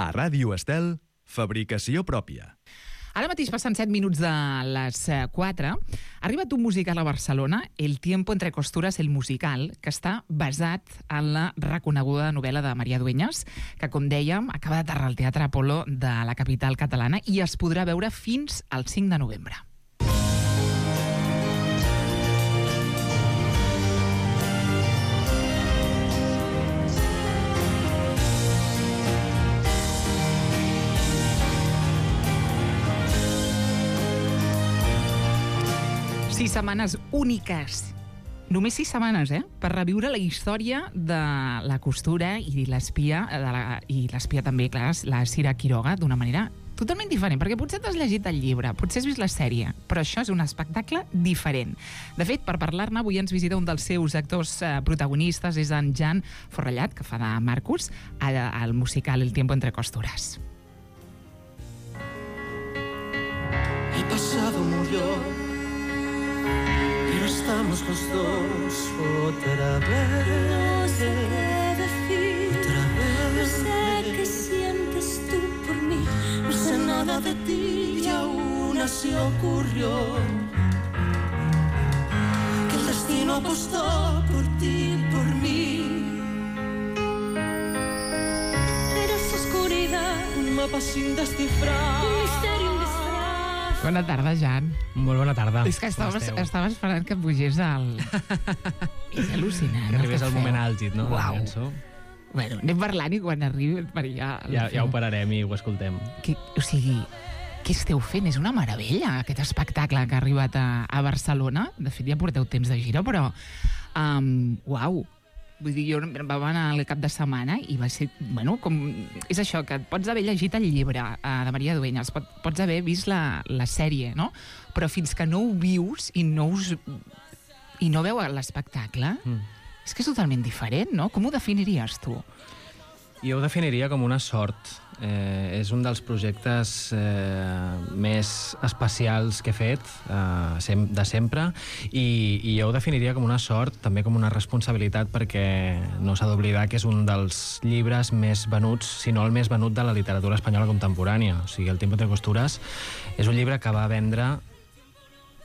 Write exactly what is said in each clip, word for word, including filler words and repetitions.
A Ràdio Estel, fabricació pròpia. Ara mateix passen set minuts de les quatre. Ha arribat un musical a Barcelona, El tiempo entre costuras, el musical, que està basat en la reconeguda novel·la de Maria Dueñas, que, com dèiem, acaba d'aterrar al Teatre Apolo de la capital catalana i es podrà veure fins al cinc de novembre. Sis setmanes úniques. Només sis setmanes, eh? Per reviure la història de la costura i l'espia, de la, i l'espia també, clar, la Sira Quiroga, d'una manera totalment diferent, perquè potser t'has llegit el llibre, potser has vist la sèrie, però això és un espectacle diferent. De fet, per parlar-ne, avui ens visita un dels seus actors eh, protagonistes, és en Jan Forrellat, que fa de Marcus, al musical El tiempo entre costuras. El pasado murió, pero estamos los dos otra vez. No sé qué decir, otra vez. No sé qué sientes tú por mí. No sé nada de ti y aún así ocurrió que el destino apostó por ti y por mí. Eres oscuridad, Un mapa sin descifrar. un misterio, un disfraz. Bona tarda, Jan. Molt bona tarda. És que estava, estava esperant que pugés al... És al·lucinant. Que arribés el el que moment feu. àlgid, no? Uau. La cançó. Bueno, anem parlant i quan arribi per allà... Ja, ja ho pararem i ho escoltem. Que, o sigui, què esteu fent? És una meravella, aquest espectacle que ha arribat a, a Barcelona. De fet, ja porteu temps de gira, però... Um, uau! Vull dir, jo vam anar al cap de setmana i va ser, bueno, com... És això, que pots haver llegit el llibre uh, de Maria Dueñas, pot, pots haver vist la, la sèrie, no? Però fins que no ho vius i no us... i no veu l'espectacle, mm. és que és totalment diferent, no? Com ho definiries tu? Jo ho definiria com una sort. Eh, és un dels projectes eh, més especials que he fet eh, sem de sempre i, i jo ho definiria com una sort, també com una responsabilitat, perquè no s'ha d'oblidar que és un dels llibres més venuts, si no el més venut de la literatura espanyola contemporània. O sigui, El tiempo entre costuras és un llibre que va vendre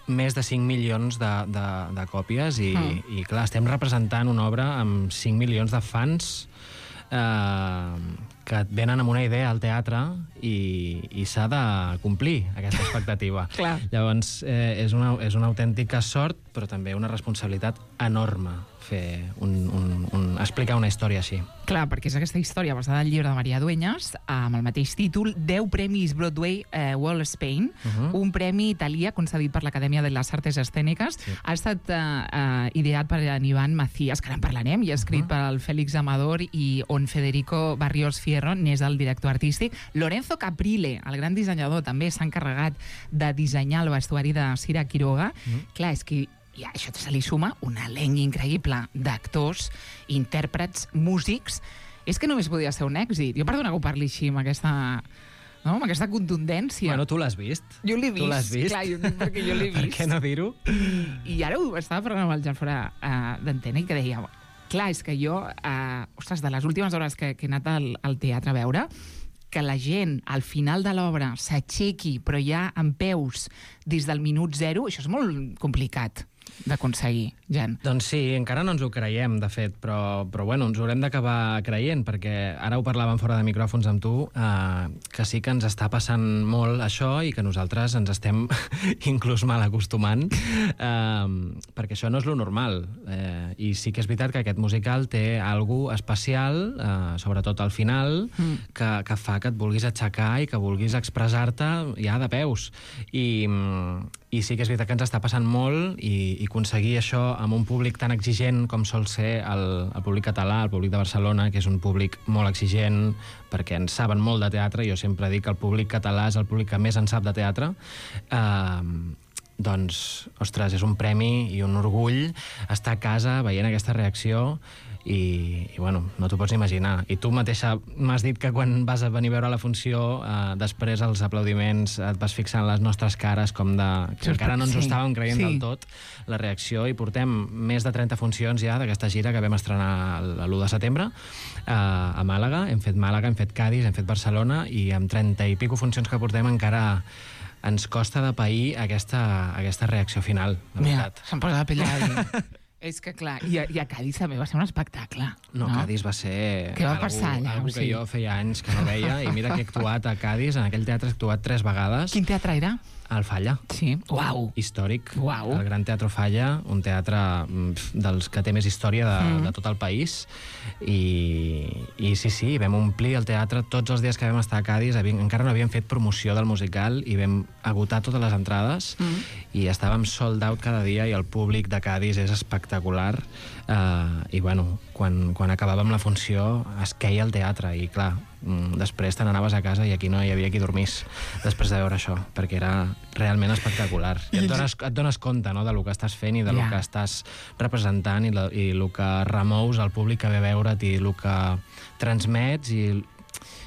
més de cinc milions de, de, de còpies i, mm. i clar, estem representant una obra amb cinc milions de fans eh, que et venen amb una idea al teatre i, i s'ha de complir aquesta expectativa. Clar. Llavors, eh, és, una, és una autèntica sort, però també una responsabilitat enorme fer un, un, un, explicar una història així. Clar, perquè és aquesta història basada en el llibre de Maria Dueñas, amb el mateix títol, deu premis Broadway eh, World Spain, uh -huh. un premi italià concedit per l'Acadèmia de les Artes Escèniques. Sí. Ha estat eh, eh, ideat per en Iván Macías, que ara en parlarem, i escrit uh -huh. per el Félix Amador, i on Federico Barrios Fierro n'és el director artístic. Lorenzo Caprile, el gran dissenyador, també s'ha encarregat de dissenyar el vestuari de Sira Quiroga. Uh -huh. Clar, és que i a això se li suma un elenc increïble d'actors, intèrprets, músics. És que només podia ser un èxit. Jo, perdona que ho parli així, amb aquesta, no? amb aquesta contundència. Bueno, tu l'has vist? Jo l'he vist. Tu l'has vist? Clar, jo, perquè jo l'he vist. Per què no dir-ho? I, I ara ho estava parlant amb el Jan fora uh, d'antena i que deia, clar, és que jo, uh, ostres, de les últimes hores que, que he anat al, al teatre a veure, que la gent al final de l'obra s'aixequi, però ja en peus des del minut zero, això és molt complicat d'aconseguir, Jan. Doncs sí, encara no ens ho creiem, de fet, però, però bueno, ens ho haurem d'acabar creient, perquè ara ho parlàvem fora de micròfons amb tu, eh, que sí que ens està passant molt això i que nosaltres ens estem inclús mal acostumant, eh, perquè això no és lo normal. Eh, I sí que és veritat que aquest musical té alguna especial, eh, sobretot al final, mm. que, que fa que et vulguis aixecar i que vulguis expressar-te ja de peus. I... I sí que és veritat que ens està passant molt i, i aconseguir això amb un públic tan exigent com sol ser el, el públic català, el públic de Barcelona, que és un públic molt exigent perquè en saben molt de teatre. Jo sempre dic que el públic català és el públic que més en sap de teatre. Eh, doncs, ostres, és un premi i un orgull estar a casa veient aquesta reacció i, i bueno, no t'ho pots imaginar. I tu mateixa m'has dit que quan vas a venir a veure la funció, eh, després els aplaudiments et vas fixar en les nostres cares com de... que encara no ens ho estàvem creient sí. del tot, la reacció, i portem més de trenta funcions ja d'aquesta gira que vam estrenar l'u de setembre eh, a Màlaga. Hem fet Màlaga, hem fet Cadis, hem fet Barcelona, i amb trenta i pico funcions que portem encara ens costa de pair aquesta, aquesta reacció final, de veritat. Mira, se'm posa la pell a És que, clar, i a, i a Cadis també va ser un espectacle. No, no? Cadis va ser... Què va algú, passar allà? Algú que sí. jo feia anys que no veia, i mira que he actuat a Cadis, en aquell teatre he actuat tres vegades. Quin teatre era? Al Falla. Sí. Uau. Històric. Uau. El Gran Teatre Falla, un teatre pf, dels que té més història de, mm. de tot el país. I, I sí, sí, vam omplir el teatre tots els dies que vam estar a Cadis. Havíem, encara no havíem fet promoció del musical i vam agotar totes les entrades mm. i estàvem sold out cada dia, i el públic de Cadis és espectacular. Uh, I bueno, quan, quan acabàvem la funció es queia el teatre, i clar, després te n'anaves a casa i aquí no hi havia qui dormís després de veure això, perquè era realment espectacular. I et dones, et dones compte, no?, de lo que estàs fent i de yeah. lo que estàs representant, i, la, i el que remous al públic que ve a veure't, i el que transmets. I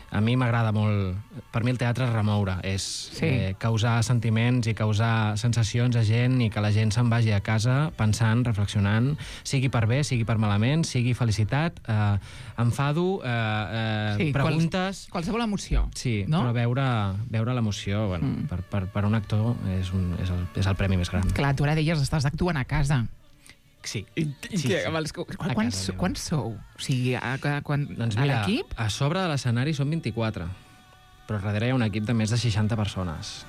a mi m'agrada molt... Per mi el teatre és remoure, és sí. eh, causar sentiments i causar sensacions a gent, i que la gent se'n vagi a casa pensant, reflexionant, sigui per bé, sigui per malament, sigui felicitat, eh, enfado, eh, eh, sí, preguntes... Quals, qualsevol emoció. Sí, no? Però veure, veure l'emoció, bueno, mm. per, per, per un actor és, un, és, el, és el premi més gran. Clar, tu ara deies, estàs actuant a casa. Sí. I, i sí, que, sí. Els, quan, quants, quants sou? O sigui, a, a, quan, doncs a mira, l'equip? A sobre de l'escenari són vint-i-quatre, però darrere hi ha un equip de més de seixanta persones.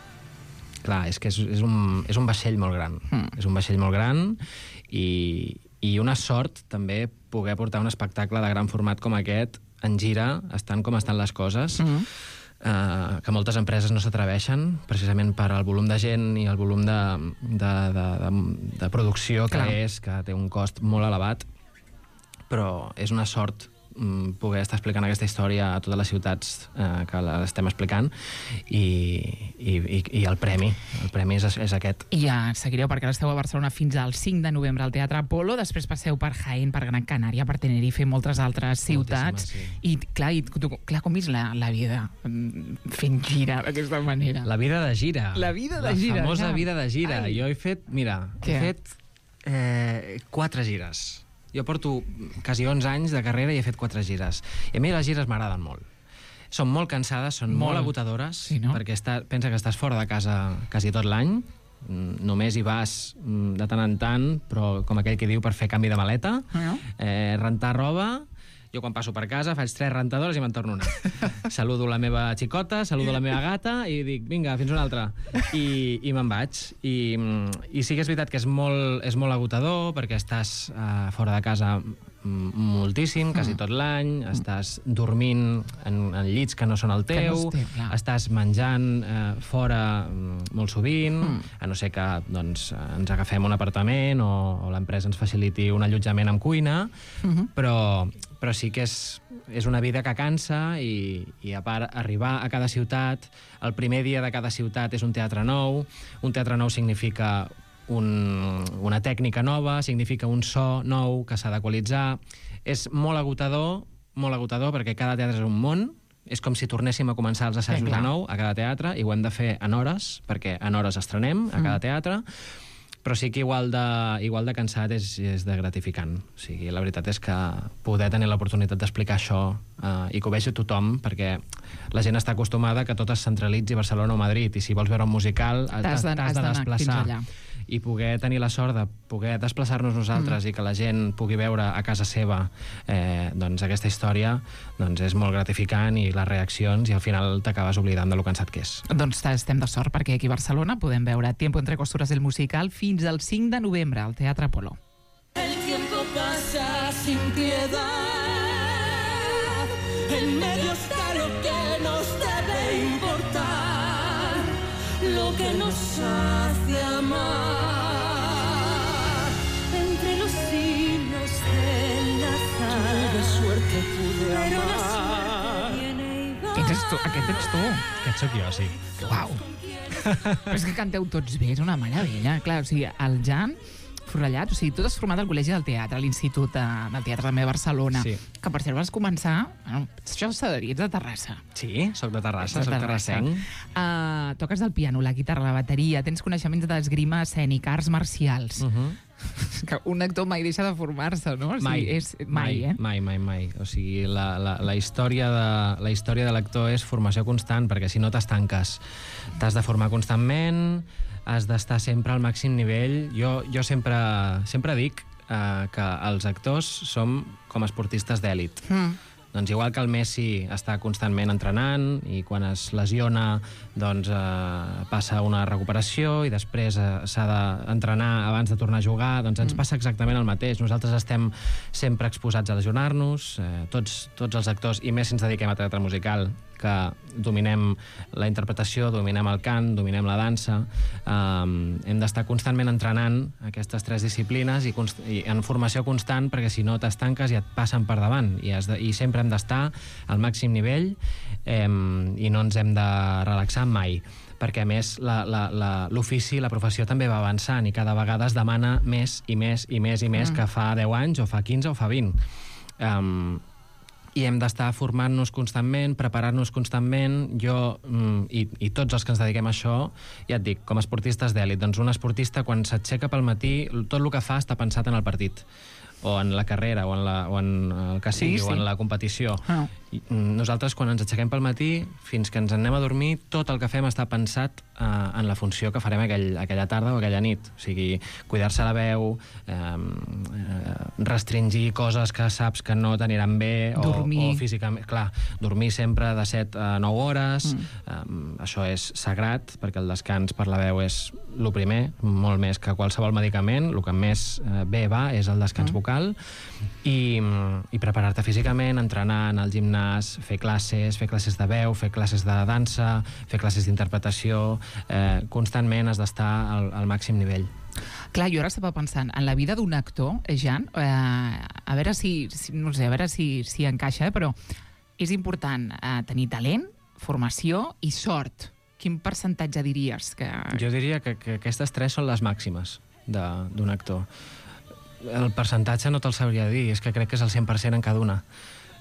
Clar, és que és, és, un, és un vaixell molt gran. Mm. És un vaixell molt gran, i, i una sort també poder portar un espectacle de gran format com aquest en gira, estan com estan les coses. Mm. Uh, que moltes empreses no s'atreveixen, precisament per al volum de gent i el volum de, de, de, de, de producció que Clar. és, que té un cost molt elevat, però és una sort um, poder estar explicant aquesta història a totes les ciutats uh, que l'estem explicant, i, i, i, i el premi el premi és, és aquest. I ja seguireu, perquè ara esteu a Barcelona fins al cinc de novembre al Teatre Apolo, després passeu per Jaén, per Gran Canària, per Tenerife i moltes altres ciutats. Sí. I clar, i, tu, clar, com és la, la vida fent gira d'aquesta manera? La vida de gira. La vida de la gira. La famosa ja. vida de gira. Ai. Jo he fet, mira, Què? he fet eh, quatre gires. Jo porto quasi onze anys de carrera i he fet quatre gires. I a mi les gires m'agraden molt. Són molt cansades, són molt, molt agotadores, sí, no? Perquè està, pensa que estàs fora de casa quasi tot l'any, només hi vas de tant en tant, però com aquell que diu, per fer canvi de maleta, uh-huh. eh, rentar roba. Jo quan passo per casa faig tres rentadores i me'n torno una. Saludo la meva xicota, saludo la meva gata i dic, vinga, fins una altra. I, i me'n vaig. I, I sí que és veritat que és molt, és molt agotador, perquè estàs uh, fora de casa moltíssim, quasi tot l'any, estàs dormint en, en llits que no són el teu, no té, estàs menjant eh, fora molt sovint, mm. a no ser que doncs, ens agafem un apartament o, o l'empresa ens faciliti un allotjament amb cuina, mm-hmm. però, però sí que és, és una vida que cansa, i, i a part arribar a cada ciutat, el primer dia de cada ciutat és un teatre nou, un teatre nou significa Un, una tècnica nova, significa un so nou que s'ha d'equalitzar. És molt agotador, molt agotador, perquè cada teatre és un món. És com si tornéssim a començar els assajos de nou a cada teatre, i ho hem de fer en hores, perquè en hores estrenem a cada teatre. Però sí que igual de, igual de cansat és, és de gratificant. O sigui, la veritat és que poder tenir l'oportunitat d'explicar això eh, i que ho vegi tothom, perquè la gent està acostumada que tot es centralitzi a Barcelona o Madrid, i si vols veure un musical t'has de, de desplaçar. I poder tenir la sort de poder desplaçar-nos nosaltres mm. i que la gent pugui veure a casa seva eh, doncs aquesta història, doncs és molt gratificant, i les reaccions, i al final t'acabes oblidant de lo cansat que és. Doncs estem de sort, perquè aquí a Barcelona podem veure Tiempo entre costuras del musical fins al cinc de novembre al Teatre Apolo. El tiempo pasa sin piedad, en medio está lo que nos debe importar, lo que nos hace amar. Entre los hilos del azar, De suerte pude pero amar. la suerte viene y va. Aquest ets tu. Aquest ets tu. Aquest sóc jo, sí. Uau. Però és que canteu tots bé, és una meravella. Clar, o sigui, el Jan Forrellat, o sigui, tu t'has format al Col·legi del Teatre, a l'Institut de, del Teatre també de Barcelona, sí. que per cert vas començar... Bueno, això s'ha de dir, ets de Terrassa. Sí, soc de Terrassa, Ets soc de Terrassa. terrassenc. Uh, toques el piano, la guitarra, la bateria, tens coneixements d'esgrima escènica, arts marcials. Uh -huh. Que un actor mai deixa de formar-se, no? O sigui, Mai, és, mai, mai, eh? mai, mai, mai. O sigui, la, la, la història de, la història de l'actor és formació constant, perquè si no t'estanques. T'has de formar constantment, has d'estar sempre al màxim nivell. Jo, jo sempre, sempre dic eh, que els actors som com esportistes d'èlit. Mm. Doncs igual que el Messi està constantment entrenant i quan es lesiona doncs, eh, passa una recuperació i després eh, s'ha d'entrenar abans de tornar a jugar, doncs ens passa exactament el mateix. Nosaltres estem sempre exposats a lesionar-nos, eh, tots, tots els actors, i més si ens dediquem a teatre musical, que dominem la interpretació, dominem el cant, dominem la dansa, eh, hem d'estar constantment entrenant aquestes tres disciplines i, const i en formació constant, perquè si no t'estanques i et passen per davant, i, has de, i sempre hem d'estar al màxim nivell eh, i no ens hem de relaxar mai, perquè a més l'ofici, la, la, la professió també va avançant i cada vegada es demana més i més i més i més mm. que fa deu anys o fa quinze o fa vint. Um, i hem d'estar formant-nos constantment, preparar-nos constantment. Jo mm, i, i tots els que ens dediquem a això, ja et dic, com a esportistes d'èlit, doncs un esportista quan s'aixeca pel matí, tot el que fa està pensat en el partit, o en la carrera, o en, la, o en el que sigui, sí, sí. o en la competició. Ah. I, nosaltres, quan ens aixequem pel matí, fins que ens anem a dormir, tot el que fem està pensat eh, en la funció que farem aquell, aquella tarda o aquella nit. O sigui, cuidar-se la veu, eh, eh, restringir coses que saps que no t'aniran bé, o, o físicament... Clar, dormir sempre de set a nou hores, mm. eh, això és sagrat, perquè el descans per la veu és el primer, molt més que qualsevol medicament. El que més eh, bé va és el descans mm. vocal, i, i preparar-te físicament, entrenar, anar al gimnàs, fer classes, fer classes de veu, fer classes de dansa, fer classes d'interpretació, eh, constantment has d'estar al, al màxim nivell. Clar, jo ara estava pensant, en la vida d'un actor, Jan, eh, a veure si, si, no sé, a veure si, si encaixa, eh, però és important eh, tenir talent, formació i sort. Quin percentatge diries que... Jo diria que, que aquestes tres són les màximes d'un actor. El percentatge no te'l sabria dir, és que crec que és el cent per cent en cada una.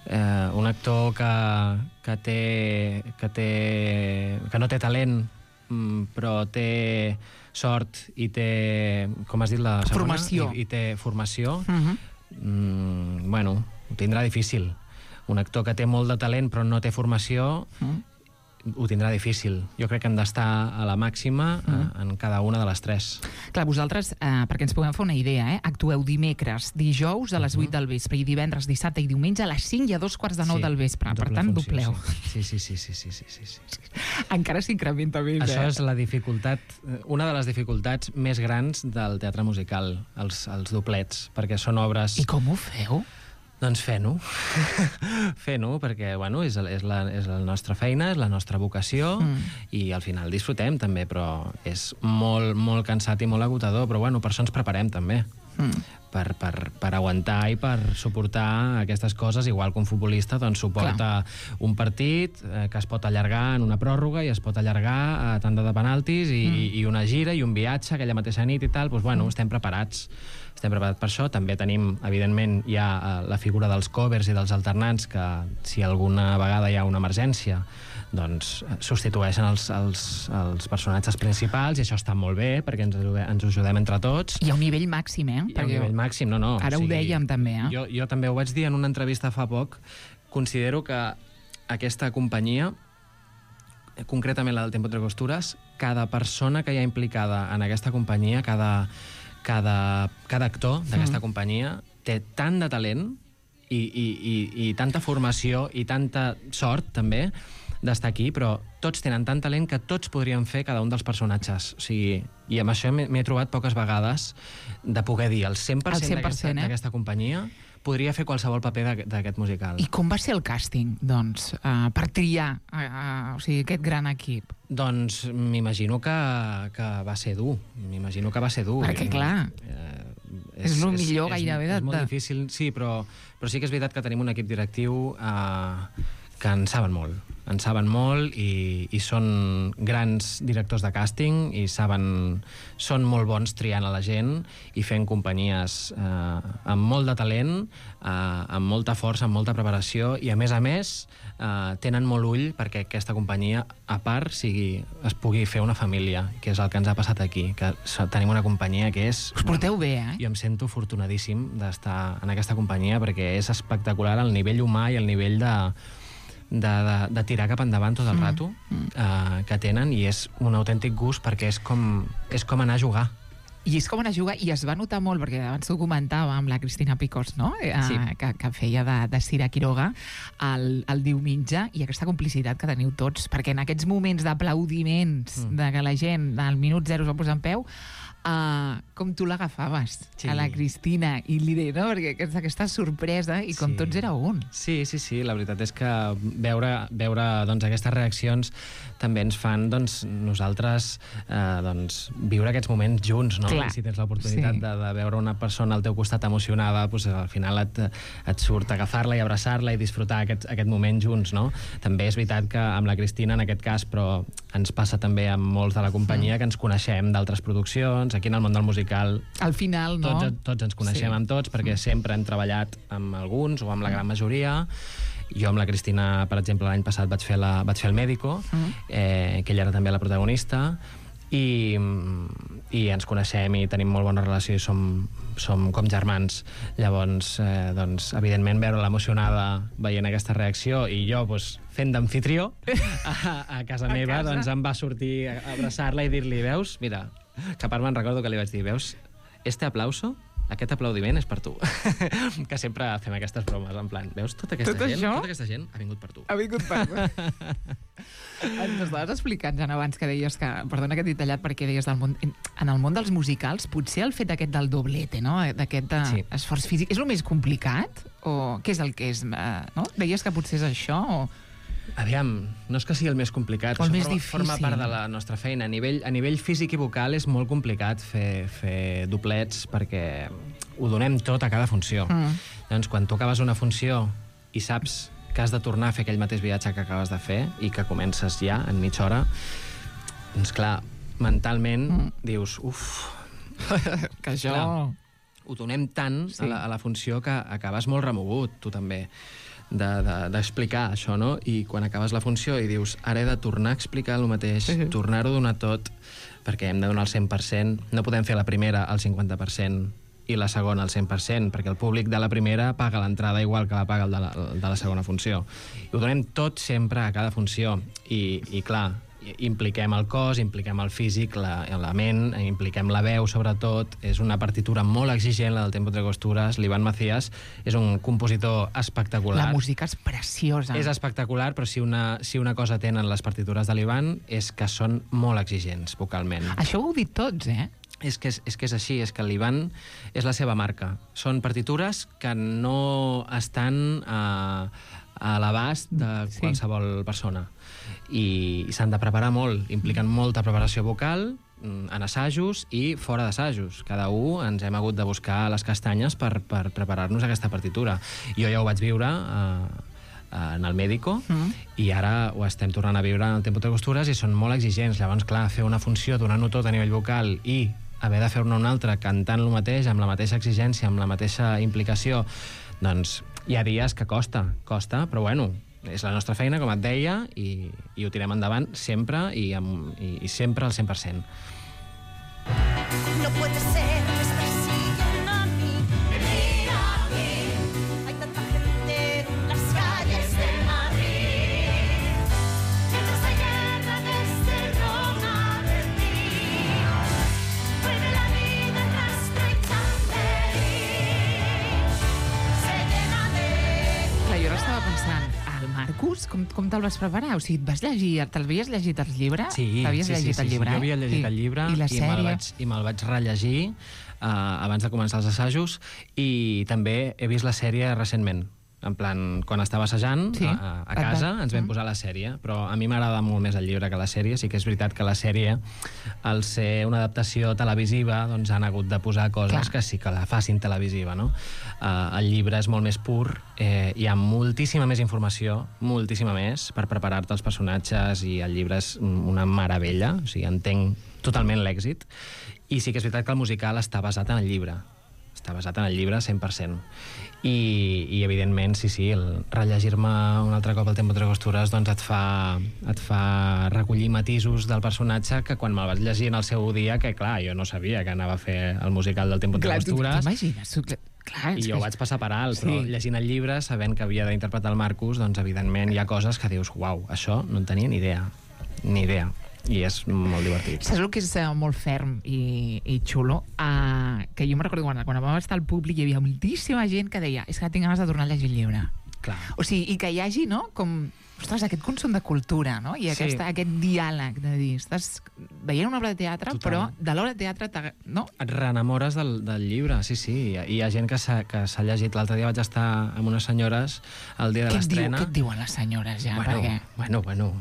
Eh, un actor que, que, té, que, té, que no té talent, però té sort i té, com has dit la segona? Formació. I, i té formació, uh-huh. mm, bueno, ho tindrà difícil. Un actor que té molt de talent però no té formació, uh-huh. ho tindrà difícil. Jo crec que hem d'estar a la màxima mm. eh, en cada una de les tres. Clar, vosaltres, eh, perquè ens puguem fer una idea, eh, actueu dimecres, dijous a les vuit del vespre i divendres, dissabte i diumenge a les cinc i a dos quarts de nou sí, del vespre. Per tant, funció, dobleu. Sí, sí, sí, sí, sí, sí, sí, sí, sí. Encara s'incrementa més, Això eh? és la dificultat, una de les dificultats més grans del teatre musical, els, els doblets, perquè són obres... I com ho feu? Doncs fent-ho. fent-ho, perquè bueno, és, és, la, és la nostra feina, és la nostra vocació, mm. i al final disfrutem també, però és molt, molt cansat i molt agotador, però bueno, per això ens preparem també. Mm. Per, per, per aguantar i per suportar aquestes coses, igual que un futbolista doncs, suporta Clar. un partit eh, que es pot allargar en una pròrroga i es pot allargar a tanda de penaltis i, mm. i una gira i un viatge aquella mateixa nit i tal, doncs, bueno, mm. estem preparats. Estem preparats per això. També tenim, evidentment, hi ha la figura dels covers i dels alternants que, si alguna vegada hi ha una emergència, doncs substitueixen els, els, els personatges principals, i això està molt bé, perquè ens, ens ajudem entre tots. Hi ha un nivell màxim, eh? Hi ha un nivell màxim, no, no. Ara o sigui, ho dèiem, també, eh? Jo, jo també ho vaig dir en una entrevista fa poc. Considero que aquesta companyia, concretament la del Tiempo entre Costures, cada persona que hi ha implicada en aquesta companyia, cada... Cada, cada actor d'aquesta mm. companyia té tant de talent i, i, i, i tanta formació i tanta sort, també, d'estar aquí, però tots tenen tant talent que tots podrien fer cada un dels personatges. O sigui, i amb això m'he trobat poques vegades de poder dir el cent per cent, cent per cent d'aquesta eh? companyia podria fer qualsevol paper d'aquest musical. I com va ser el càsting, doncs, uh, per triar uh, uh, o sigui, aquest gran equip? Doncs m'imagino que, que va ser dur. M'imagino que va ser dur. Perquè, clar, eh, és, és el millor és, gairebé. És, de... és molt difícil, sí, però, però sí que és veritat que tenim un equip directiu eh, que en saben molt. en saben molt i, i són grans directors de càsting i saben, són molt bons triant a la gent i fent companyies eh, amb molt de talent, eh, amb molta força, amb molta preparació i, a més a més, eh, tenen molt ull perquè aquesta companyia, a part, sigui, es pugui fer una família, que és el que ens ha passat aquí, que tenim una companyia que és... Us porteu bé, eh? Jo em sento afortunadíssim d'estar en aquesta companyia perquè és espectacular el nivell humà i el nivell de, de, de, de tirar cap endavant tot el mm. rato uh, que tenen, i és un autèntic gust perquè és com, és com anar a jugar. I és com anar a jugar, i es va notar molt, perquè abans ho comentava amb la Cristina Picós, no? Eh, sí. que, que feia de, de Cira Quiroga el, el diumenge, i aquesta complicitat que teniu tots, perquè en aquests moments d'aplaudiments, mm. de que la gent al minut zero es va posar en peu, Uh, com tu l'agafaves, sí. a la Cristina, i li deia, no? Perquè aquesta, aquesta sorpresa, i com sí. tots era un. Sí, sí, sí, la veritat és que veure, veure doncs, aquestes reaccions també ens fan doncs, nosaltres eh, doncs, viure aquests moments junts, no? Clar. I si tens l'oportunitat sí. de, de veure una persona al teu costat emocionada, doncs, al final et, et surt agafar-la i abraçar-la i disfrutar aquest, aquest moment junts, no? També és veritat que amb la Cristina, en aquest cas, però ens passa també amb molts de la companyia mm. que ens coneixem d'altres produccions. Aquí en el món del musical al final, no? tots, tots ens coneixem sí. amb tots, perquè sempre hem treballat amb alguns o amb la gran majoria. Jo amb la Cristina, per exemple, l'any passat vaig fer, la, vaig fer el Médico, mm. eh, que ella era també la protagonista, i, i ens coneixem i tenim molt bona relació i som, som com germans. Llavors, eh, doncs, evidentment, veure-la emocionada veient aquesta reacció, i jo doncs, fent d'amfitrió a, a casa a meva, casa? Doncs em va sortir a abraçar-la i dir-li, veus, mira, que a part me'n recordo que li vaig dir, veus, este aplauso, aquest aplaudiment és per tu. Que sempre fem aquestes bromes, en plan, veus, tota aquesta, Tot gent, això? tota aquesta gent ha vingut per tu. Ha vingut per tu. Ens estaves explicant, Jan, abans que deies que, perdona que t'he tallat, perquè deies del món, en el món dels musicals, potser el fet aquest del doblete, no? D'aquest sí. esforç físic, és el més complicat? O què és el que és? No? Deies que potser és això o... Aviam, no és que sigui el més complicat, o el això més forma, difícil. forma part de la nostra feina. A nivell, a nivell físic i vocal és molt complicat fer, fer doblets perquè ho donem tot a cada funció. Mm. Doncs quan tu acabes una funció i saps que has de tornar a fer aquell mateix viatge que acabes de fer i que comences ja en mitja hora, doncs clar, mentalment mm. dius, uf... que això... Clar, ho donem tant sí. a, la, a la funció que acabes molt remogut, tu també. d'explicar de, de, això, no? I quan acabes la funció i dius, ara he de tornar a explicar el mateix, uh -huh. tornar-ho a donar tot, perquè hem de donar el cent per cent, no podem fer la primera al cinquanta per cent i la segona al cent per cent, perquè el públic de la primera paga l'entrada igual que la paga el de la, de la segona funció. I ho donem tot sempre a cada funció, i, i clar, impliquem el cos, impliquem el físic, la, la ment, impliquem la veu, sobretot. És una partitura molt exigent, la del Tempo Tres Costures. L'Ivan Macías és un compositor espectacular. La música és preciosa. És espectacular, però si una, si una cosa tenen les partitures de l'Ivan és que són molt exigents vocalment. Això ho heu dit tots, eh? És que és, és que és així, és que l'Ivan és la seva marca. Són partitures que no estan a, a l'abast de sí. qualsevol persona. I, i s'han de preparar molt, impliquen molta preparació vocal en assajos i fora d'assajos. Cada un ens hem hagut de buscar les castanyes per, per preparar-nos aquesta partitura. Jo ja ho vaig viure eh, en el Médico mm. i ara ho estem tornant a viure en el Tempo Tres Costures i són molt exigents. Llavors, clar, fer una funció donant-ho tot a nivell vocal i haver de fer-ne una altra cantant el mateix, amb la mateixa exigència, amb la mateixa implicació, doncs hi ha dies que costa, costa, però bueno, és la nostra feina, com et deia, i, i ho tirem endavant sempre i, amb, i, i sempre al cent per cent. No puede ser que es persiguen a mí. Mira aquí, hay tanta gente en las calles de Madrid. Gritos de guerra desde Roma, Berlín. Vuelve la vida rastro y Chamberí. Se llena de... Clar, jo ara estava pensant, Marcus, com, com te'l vas preparar? O sigui, et vas llegir, t'havies llegit el llibre? Sí, T'havies sí, llegit sí, el sí, llibre? sí. Jo havia llegit el llibre i, i, la i me'l vaig, i me'l vaig rellegir uh, abans de començar els assajos, i també he vist la sèrie recentment. En plan, quan estava assajant Sí. a, a casa ens vam posar la sèrie, però a mi m'agrada molt més el llibre que la sèrie. Sí que és veritat que la sèrie, al ser una adaptació televisiva, doncs han hagut de posar coses Clar. que sí que la facin televisiva, no? Uh, el llibre és molt més pur, eh, hi ha moltíssima més informació, moltíssima més, per preparar-te els personatges, i el llibre és una meravella, o sigui, entenc totalment l'èxit, i sí que és veritat que el musical està basat en el llibre, està basat en el llibre cent per cent. I, i evidentment, sí, sí, el rellegir-me un altre cop el Tiempo entre costures doncs et fa, et fa recollir matisos del personatge que quan me'l vaig llegir en el seu dia, que clar, jo no sabia que anava a fer el musical del Tiempo entre Clar, tu costures. t'imagines? Tu, clar, I és jo ho que- vaig passar per alt, però Sí. llegint el llibre, sabent que havia d'interpretar el Marcus, doncs evidentment hi ha coses que dius, uau, això no en tenia ni idea, ni idea. I és molt divertit. Saps el que és uh, molt ferm i, i xulo? Uh, que jo me recordo quan, quan vam estar al públic hi havia moltíssima gent que deia és que tinc ganes de tornar a llegir el llibre. Clar. O sigui, i que hi hagi, no?, com, ostres, aquest consum de cultura, no?, i Sí. aquesta, aquest diàleg de dir, estàs veient una obra de teatre, Total. però de l'obra de teatre, t'ag- no? Et reenamores del, del llibre, sí, sí. I hi ha gent que s'ha que s'ha llegit. L'altre dia vaig estar amb unes senyores el dia de Què et, diu, l'estrena. què et diuen les senyores ja? Bueno, Perquè bueno, bueno.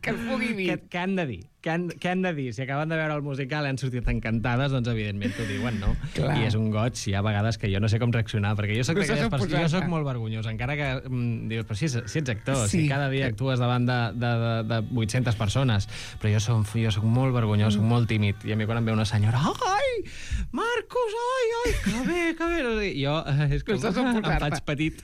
que el pugui dir. Què, què han de dir? Què han, què han de dir? Si acaben de veure el musical i han sortit encantades, doncs evidentment t'ho diuen, no? Clar. I és un goig, hi ha vegades que jo no sé com reaccionar, perquè jo soc No d'aquelles saps on persones, jo posar-te. soc molt vergonyós, encara que mm, dius, però si, si ets actor, Sí. si cada dia actues davant de, de, de, de vuit-centes persones, però jo soc, jo soc molt vergonyós, soc molt tímid, i a mi quan em ve una senyora, ai, Marcos, ai, ai, que bé, que bé, jo eh, és que No saps on em posar-te. faig petit,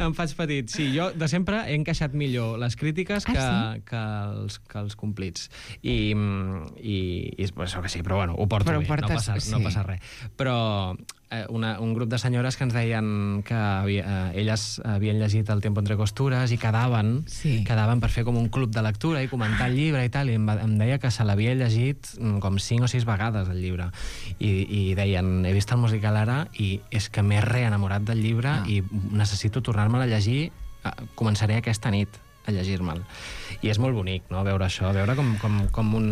em faig petit. Sí, jo de sempre he encaixat millor les crítiques que, Ah, que, els, que els complits. I, i, i és per això que sí, però bueno, ho porto Però ho bé, portes- no, passa, no sí. passa res. Però eh, una, un grup de senyores que ens deien que havia, eh, elles havien llegit El Tiempo entre costures i quedaven, Sí. quedaven per fer com un club de lectura i comentar el llibre i tal, i em, va, em deia que se l'havia llegit mm, com cinc o sis vegades el llibre. I, i deien, he vist el musical ara i és que m'he reenamorat del llibre Ah. i necessito tornar-me'l a llegir, eh, començaré aquesta nit a llegir-me'l. I és molt bonic, no?, veure això, veure com, com, com un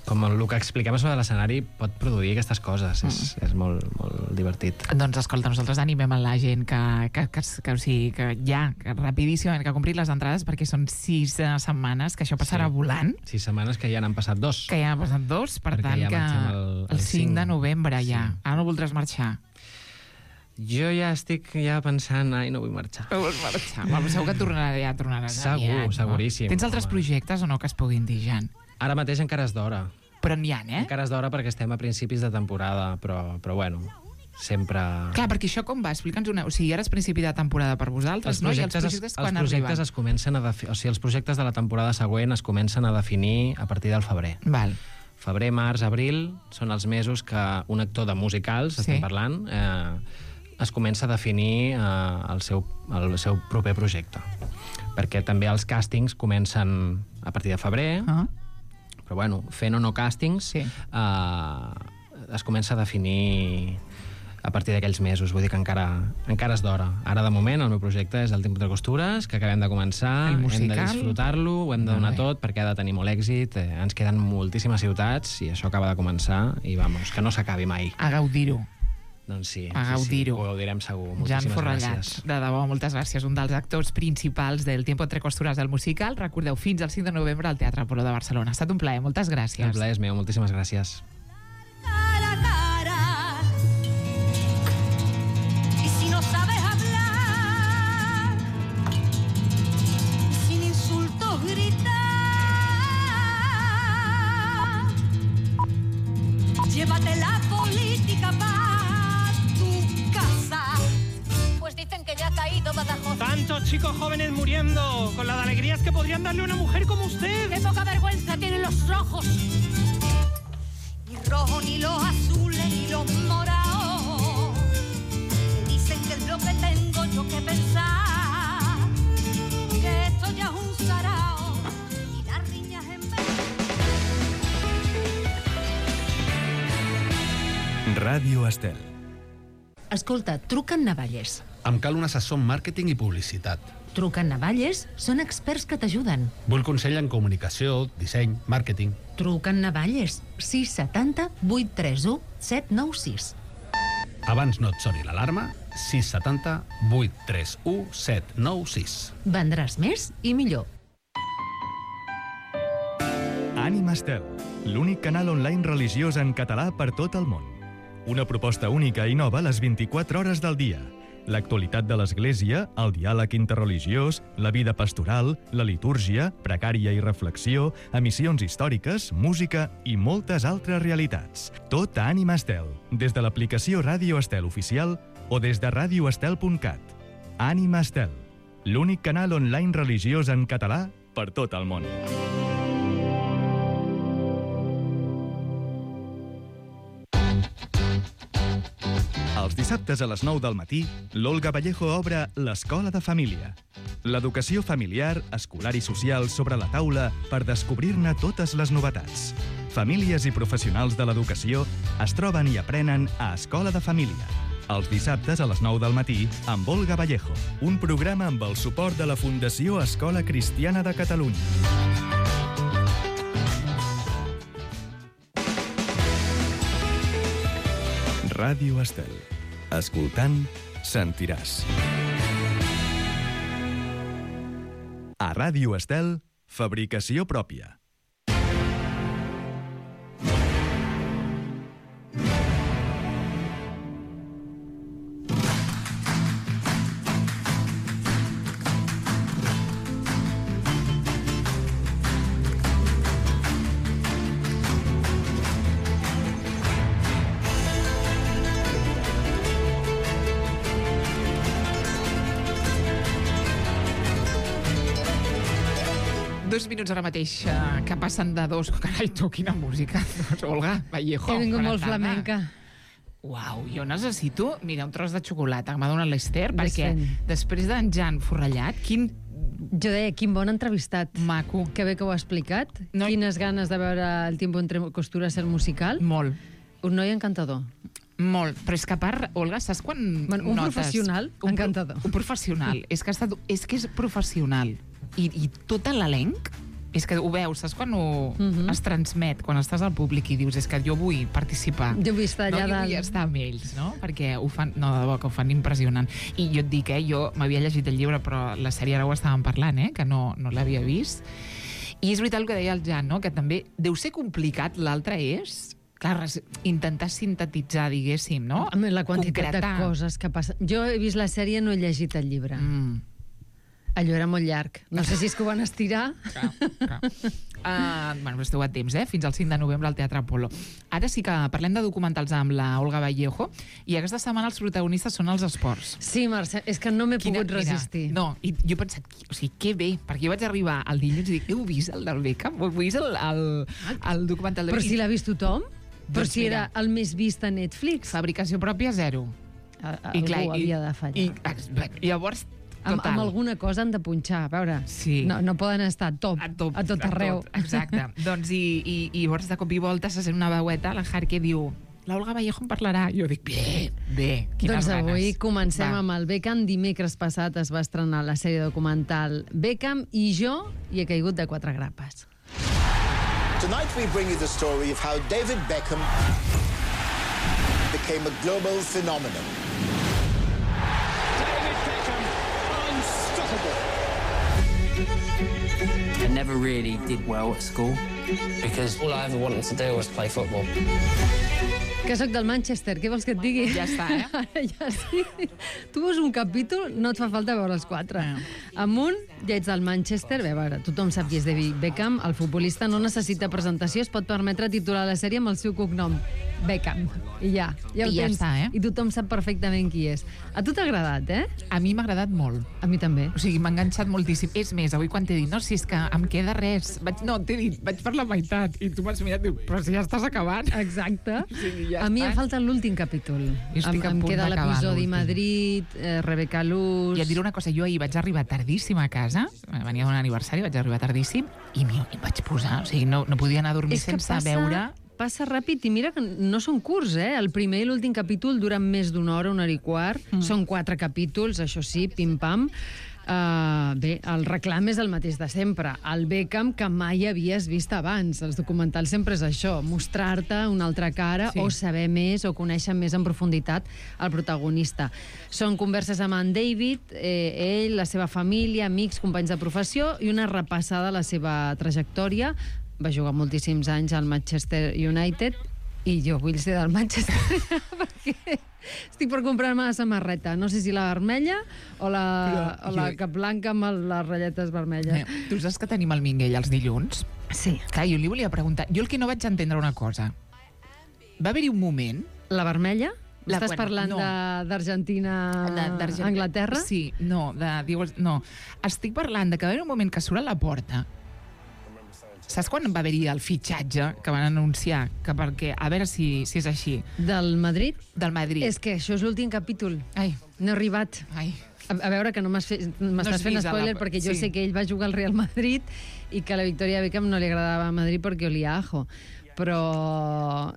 com el que expliquem sobre l'escenari pot produir aquestes coses. Mm. És, és molt, molt divertit. Doncs escolta, nosaltres animem a la gent que, que, que, que, o sigui, que ja, que rapidíssimament, que ha comprit les entrades perquè són sis uh, setmanes, que això passarà Sí. volant, Sis setmanes que ja n'han passat dos. que ja han passat dos, per Perquè tant ja que marxem el- el el cinc de cinc. novembre ja. Sí. Ara no voldràs marxar. Jo ja estic ja pensant, ai, no vull marxar. No vols marxar. Bueno, segur que tornarà, ja tornaràs Segur, aviat, seguríssim. No? Tens altres Home. projectes o no que es puguin dir, Jan? Ara mateix encara és d'hora. Però n'hi ha, eh? Encara és d'hora perquè estem a principis de temporada, però, però bueno, sempre... Clar, perquè això com va? Explica'ns una... O sigui, ara és principi de temporada per vosaltres, Els no? I els projectes, projectes es, quan els projectes arriben? es comencen a defi... o sigui, els projectes de la temporada següent es comencen a definir a partir del febrer. Val. Febrer, març, abril són els mesos que un actor de musicals, Sí. estem parlant, eh, es comença a definir eh, el, seu, el seu proper projecte. Perquè també els càstings comencen a partir de febrer, Ah. però bueno, fent o no càstings, Sí. eh, es comença a definir a partir d'aquells mesos, vull dir que encara, encara és d'hora. Ara, de moment, el meu projecte és el Tiempo entre costures, que acabem de començar, El hem de musical. disfrutar-lo, ho hem de Molt donar bé. tot, perquè ha de tenir molt èxit, eh, ens queden moltíssimes ciutats, i això acaba de començar, i vamos, que no s'acabi mai. A gaudir-ho. Doncs sí, A sí, sí, gaudir-ho. ho gaudirem segur. Jan Moltíssimes Forrellats, gràcies. de debò, moltes gràcies. Un dels actors principals del Tiempo entre costures del musical. Recordeu, fins al cinc de novembre al Teatre Apolo de Barcelona. Ha estat un plaer, moltes gràcies. El plaer és meu, moltíssimes gràcies. cara a cara. Y si no sabes hablar, sin insultos gritar, llévate la política pa' tu casa. Pues dicen que ya ha caído Badajoz. Tantos chicos jóvenes muriendo con las alegrías que podrían darle a una mujer como usted. ¡Qué poca vergüenza tienen los rojos! Ni rojo, ni los azules, ni los morados. Me dicen que es lo que tengo yo que pensar, que esto ya es un sarao y las riñas en vez. Ràdio Estel. Escolta, truquen Navalles. Em cal un assessor en màrqueting i publicitat. Truquen Navalles, són experts que t'ajuden. Vull consell en comunicació, disseny, màrqueting. Truquen Navalles, sis setanta vuit tres u set nou sis. Abans no et soni l'alarma, sis set zero vuit tres u set nou sis. Vendràs més i millor. Ànima Estel, l'únic canal online religiós en català per tot el món. Una proposta única i nova a les vint-i-quatre hores del dia. L'actualitat de l'Església, el diàleg interreligiós, la vida pastoral, la litúrgia, precària i reflexió, emissions històriques, música i moltes altres realitats. Tot a Ànima Estel, des de l'aplicació Ràdio Estel oficial o des de radio estel punt cat. Ànima Estel, l'únic canal online religiós en català per tot el món. Els dissabtes a les nou del matí, l'Olga Vallejo obre l'Escola de Família. L'educació familiar, escolar i social sobre la taula per descobrir-ne totes les novetats. Famílies i professionals de l'educació es troben i aprenen a Escola de Família. Els dissabtes a les nou del matí amb Olga Vallejo, un programa amb el suport de la Fundació Escola Cristiana de Catalunya. Ràdio Estel. Escoltant, sentiràs. A Ràdio Estel, fabricació pròpia. Dos minuts ara mateix eh, que passen de dos... Carai, tu, quina música. Doncs, Olga Vallejo. He vingut bona molt tarda. flamenca. Uau, jo necessito, mira, un tros de xocolata que m'ha donat l'Ester, perquè Desfent. després d'en Jan Forrellat, quin Jo deia, quin bon entrevistat. maco. Que bé que ho ha explicat. No. Quines ganes de veure El tiempo entre costuras, el musical. Molt, Un noi encantador. molt. Però és que a part, Olga, saps quan Bueno, un notes... professional Un pro- encantador. Un professional. és, que ha estat, és que és professional. I, i tot l'elenc, és que ho veus, saps quan ho Mhm. es transmet, quan estàs al públic i dius, és que jo vull participar. Jo vull estar allà no, jo dalt. vull estar amb ells, no? Perquè ho fan, no, de debò, que ho fan impressionant. I jo et dic, eh, jo m'havia llegit el llibre, però la sèrie ara ho estàvem parlant, eh, que no, no l'havia vist. I és veritat el que deia el Jan, no? Que també deu ser complicat, l'altre és... Clar, res- intentar sintetitzar, diguéssim, no? Amb la quantitat Concretar. de coses que passen. Jo he vist la sèrie, no he llegit el llibre. Mm. Allò era molt llarg. No sé si és que ho van estirar. Clar, clar. Uh, bueno, però esteu a temps, eh? Fins al cinc de novembre al Teatre Apolo. Ara sí que parlem de documentals amb la Olga Vallejo i aquesta setmana els protagonistes són els esports. Sí, Mercè, és que no m'he Quina- pogut resistir. Mira, no, i jo he pensat, o sigui, que bé, perquè jo vaig arribar al dilluns i dic, heu vist el del Beckham? Heu vist el, el, el documental del Però Beckham? si l'ha vist tothom? Però Doncs si era mira. el més vist a Netflix. Fabricació pròpia, zero. A, a, algú havia de fallar. I, i, llavors, amb, total. amb alguna cosa han de punxar, a veure. Sí. No, no poden estar top, a tot, a tot arreu. tot, exacte. doncs i, i, i llavors de cop i volta se sent una veueta, la Har, que diu la Olga Vallejo en parlarà. Jo dic, bé, bé, quines Doncs avui ganes. comencem Va. amb el Beckham. Dimecres passat es va estrenar la sèrie documental Beckham i jo hi he caigut de quatre grapes. Tonight we bring you the story of how David Beckham became a global phenomenon. David Beckham, unstoppable. I never really did well at school because all I ever wanted to do was play football. Que sóc del Manchester, què vols que et digui? Ja està, eh? Ara ja sí. Tu veus un capítol, no et fa falta veure els quatre. No. Amunt, ja ets del Manchester. Bé, a veure, tothom sap qui és David Beckham. El futbolista no necessita presentació, es pot permetre titular la sèrie amb el seu cognom. Beckham. I ja, ja ho I ja tens. està, eh? I tothom sap perfectament qui és. A tu t'ha agradat, eh? A mi m'ha agradat molt. A mi també. O sigui, m'ha enganxat moltíssim. És més, avui quan t'he dit, no, si és que em queda res, vaig, no, t'he dit, vaig per la meitat, i tu m'has mirat i diu, però si ja estàs acabant. Exacte. Sí, ja a mi està. em falta l'últim capítol. Jo estic em, a em punt queda d'acabar l'episodi l'últim. Madrid, eh, Rebecca Luz... I et diré una cosa, jo ahir vaig arribar tardíssim a casa, venia d'un aniversari, vaig arribar tardíssim, i m'hi em vaig posar, o sigui, no, no podia anar a dormir És que sense passa, veure... passa ràpid, i mira que no són curts, eh? El primer i l'últim capítol duren més d'una hora, una hora i quart. Mm. Són quatre capítols, això sí, pim-pam. Uh, bé, el reclam és el mateix de sempre. El Beckham que mai havies vist abans. Els documentals sempre és això, mostrar-te una altra cara sí. o saber més o conèixer més en profunditat el protagonista. Són converses amb en David, eh, ell, la seva família, amics, companys de professió i una repassada a la seva trajectòria. Va jugar moltíssims anys al Manchester United i jo vull ser del Manchester perquè estic per comprar-me la samarreta. No sé si la vermella o la, Però, o la jo... cap blanca amb les ratlletes vermelles. Eh, tu saps que tenim el Minguell els dilluns? Sí. Clar, jo li volia preguntar. Jo el que no vaig entendre una cosa. Va haver-hi un moment... La vermella? La, Estàs bueno, parlant no. d'Argentina a Anglaterra? Sí, no, de, dius, no. Estic parlant de que va haver un moment que surt a la porta. Saps quan va haver-hi el fitxatge que van anunciar? Que perquè, a veure si, si és així. Del Madrid? Del Madrid. És que això és l'últim capítol. Ai. No he arribat. Ai. A, a veure, que no m'estàs no fent spoiler, la... perquè jo sí. sé que ell va jugar al Real Madrid i que a la Victoria Beckham no li agradava a Madrid perquè olia ajo. Però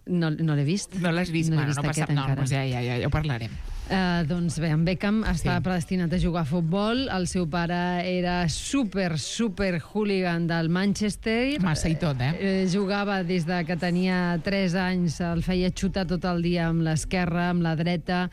no, no l'he vist. No l'has vist? No bueno, vist no passa no, doncs ja, ja, ja, ja ho parlarem. Uh, doncs bé, en Beckham estava Sí. predestinat a jugar a futbol. El seu pare era super, super hooligan del Manchester. Massa i tot, eh? eh jugava des de que tenia tres anys, el feia xutar tot el dia amb l'esquerra, amb la dreta,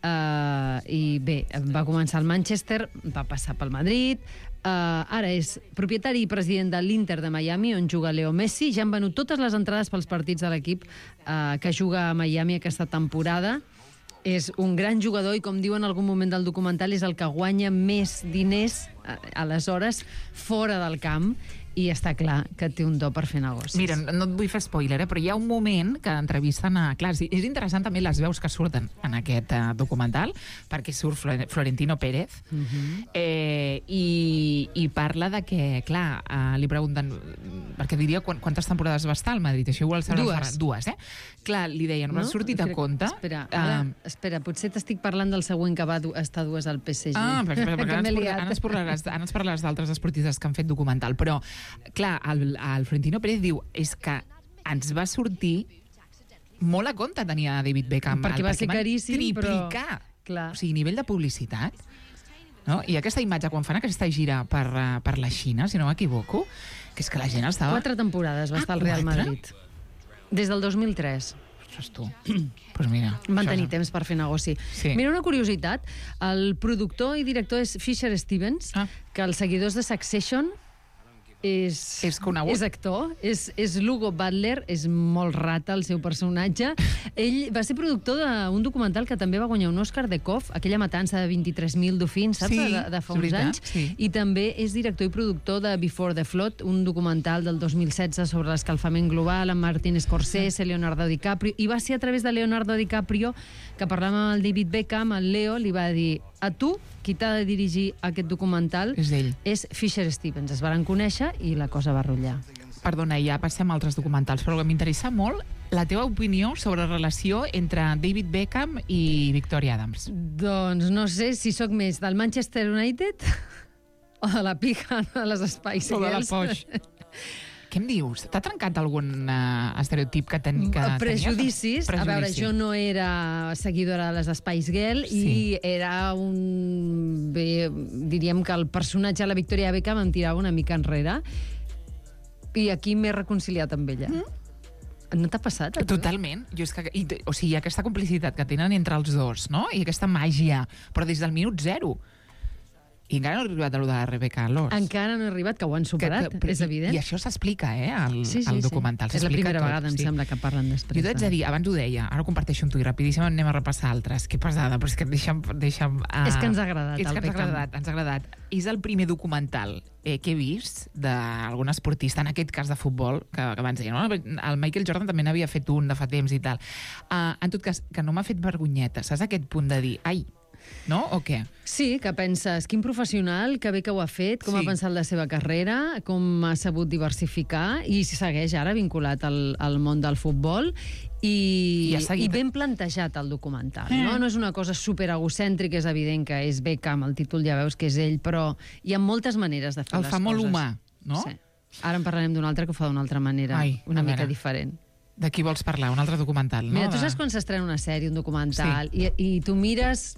uh, i bé, va començar al Manchester, va passar pel Madrid, uh, ara és propietari i president de l'Inter de Miami, on juga Leo Messi. Ja han venut totes les entrades pels partits de l'equip uh, que juga a Miami aquesta temporada. És un gran jugador i, com diu en algun moment del documental, és el que guanya més diners aleshores fora del camp, i està clar que té un do per fer negocis. Mira, no et vull fer spoiler, eh, però hi ha un moment que entrevisten a... Clar, és interessant també les veus que surten en aquest uh, documental, perquè surt Florentino Pérez, uh-huh. eh, i, i parla de que, clar, uh, li pregunten... Perquè diria quantes temporades va estar al Madrid, això igual sabrà... Dues. Dues, eh? Clar, li deien, no? Has sortit a compte... Espera, ara, uh, espera, potser t'estic parlant del següent que va estar dues al P S G. Ah, perquè, perquè ara ens parlaràs, ara ens parlaràs d'altres esportistes que han fet documental, però clar, el, el Florentino Pérez diu és que ens va sortir molt a compte tenia David Beckham. Perquè va ser caríssim, triplicar. Però... O sigui, nivell de publicitat. No? I aquesta imatge, quan fan aquesta gira per, uh, per la Xina, si no m'equivoco, que és que la gent estava... Quatre temporades va ah, estar al Real Madrid. Des del dos mil tres. Ostres, tu. Pues mira, van tenir temps per fer negoci. Sí. Mira, una curiositat. El productor i director és Fisher Stevens, ah. que els seguidors de Succession és, és conegut. És actor, és, és Lugo Butler, és molt rata el seu personatge. Ell va ser productor d'un documental que també va guanyar un Òscar de Koff, aquella matança de vint-i-tres mil dofins, saps? Sí, de, de fa uns veritat, anys. Sí. I també és director i productor de Before the Flood, un documental del dos mil setze sobre l'escalfament global, amb Martin Scorsese, Leonardo DiCaprio, i va ser a través de Leonardo DiCaprio que parlant amb el David Beckham, el Leo li va dir: a tu, qui t'ha de dirigir aquest documental és ell. És Fisher Stevens. Es varen conèixer i la cosa va rotllar. Perdona, ja passem a altres documentals, però m'interessa molt la teva opinió sobre la relació entre David Beckham i Victoria Adams. Doncs no sé si sóc més del Manchester United o de la pija de les Spice Girls. O de la Posh. Què em dius? T'ha trencat algun uh, estereotip que, ten, que prejudicis. tenies? A veure, jo no era seguidora de les Spice Girls sí. i era un... Bé, diríem que el personatge de la Victoria Beckham em tirava una mica enrere i aquí m'he reconciliat amb ella. Mm. No t'ha passat? Totalment. Jo és que, i, o sigui, aquesta complicitat que tenen entre els dos, no? I aquesta màgia, però des del minut zero. I encara no ha arribat a lo de la Rebecca Loss. Encara no ha arribat, que ho han superat, que, que, és evident. I això s'explica, eh, al, sí, sí, al documental. Sí. És la primera tot, vegada, em sí. sembla, que parlen després. Jo t'haig de dir, abans ho deia, ara ho comparteixo amb tu i rapidíssim anem a repassar altres. Que pesada, però és que deixa'm... deixa'm uh... És que ens ha agradat, és el que ens ha Beckham. agradat, ens ha agradat. És el primer documental eh, que he vist d'algun esportista, en aquest cas de futbol, que, que abans deia, no? El Michael Jordan també n'havia fet un de fa temps i tal. Uh, en tot cas, que no m'ha fet vergonyeta, saps aquest punt de dir, ai, no? O què? Sí, que penses, quin professional, que bé que ho ha fet, com sí. ha pensat la seva carrera, com ha sabut diversificar, i segueix ara vinculat al, al món del futbol, i, I, i ben plantejat el documental. Mm. No? no és una cosa super egocèntrica, és evident que és Beckham, el títol ja veus que és ell, però hi ha moltes maneres de fer el les coses. El fa molt humà, no? Sí. Ara en parlarem d'un altre que ho fa d'una altra manera, Ai, una mica veure. diferent. De qui vols parlar? Un altre documental, no? Mira, tu de... saps quan s'estrena una sèrie, un documental, sí. i, i tu mires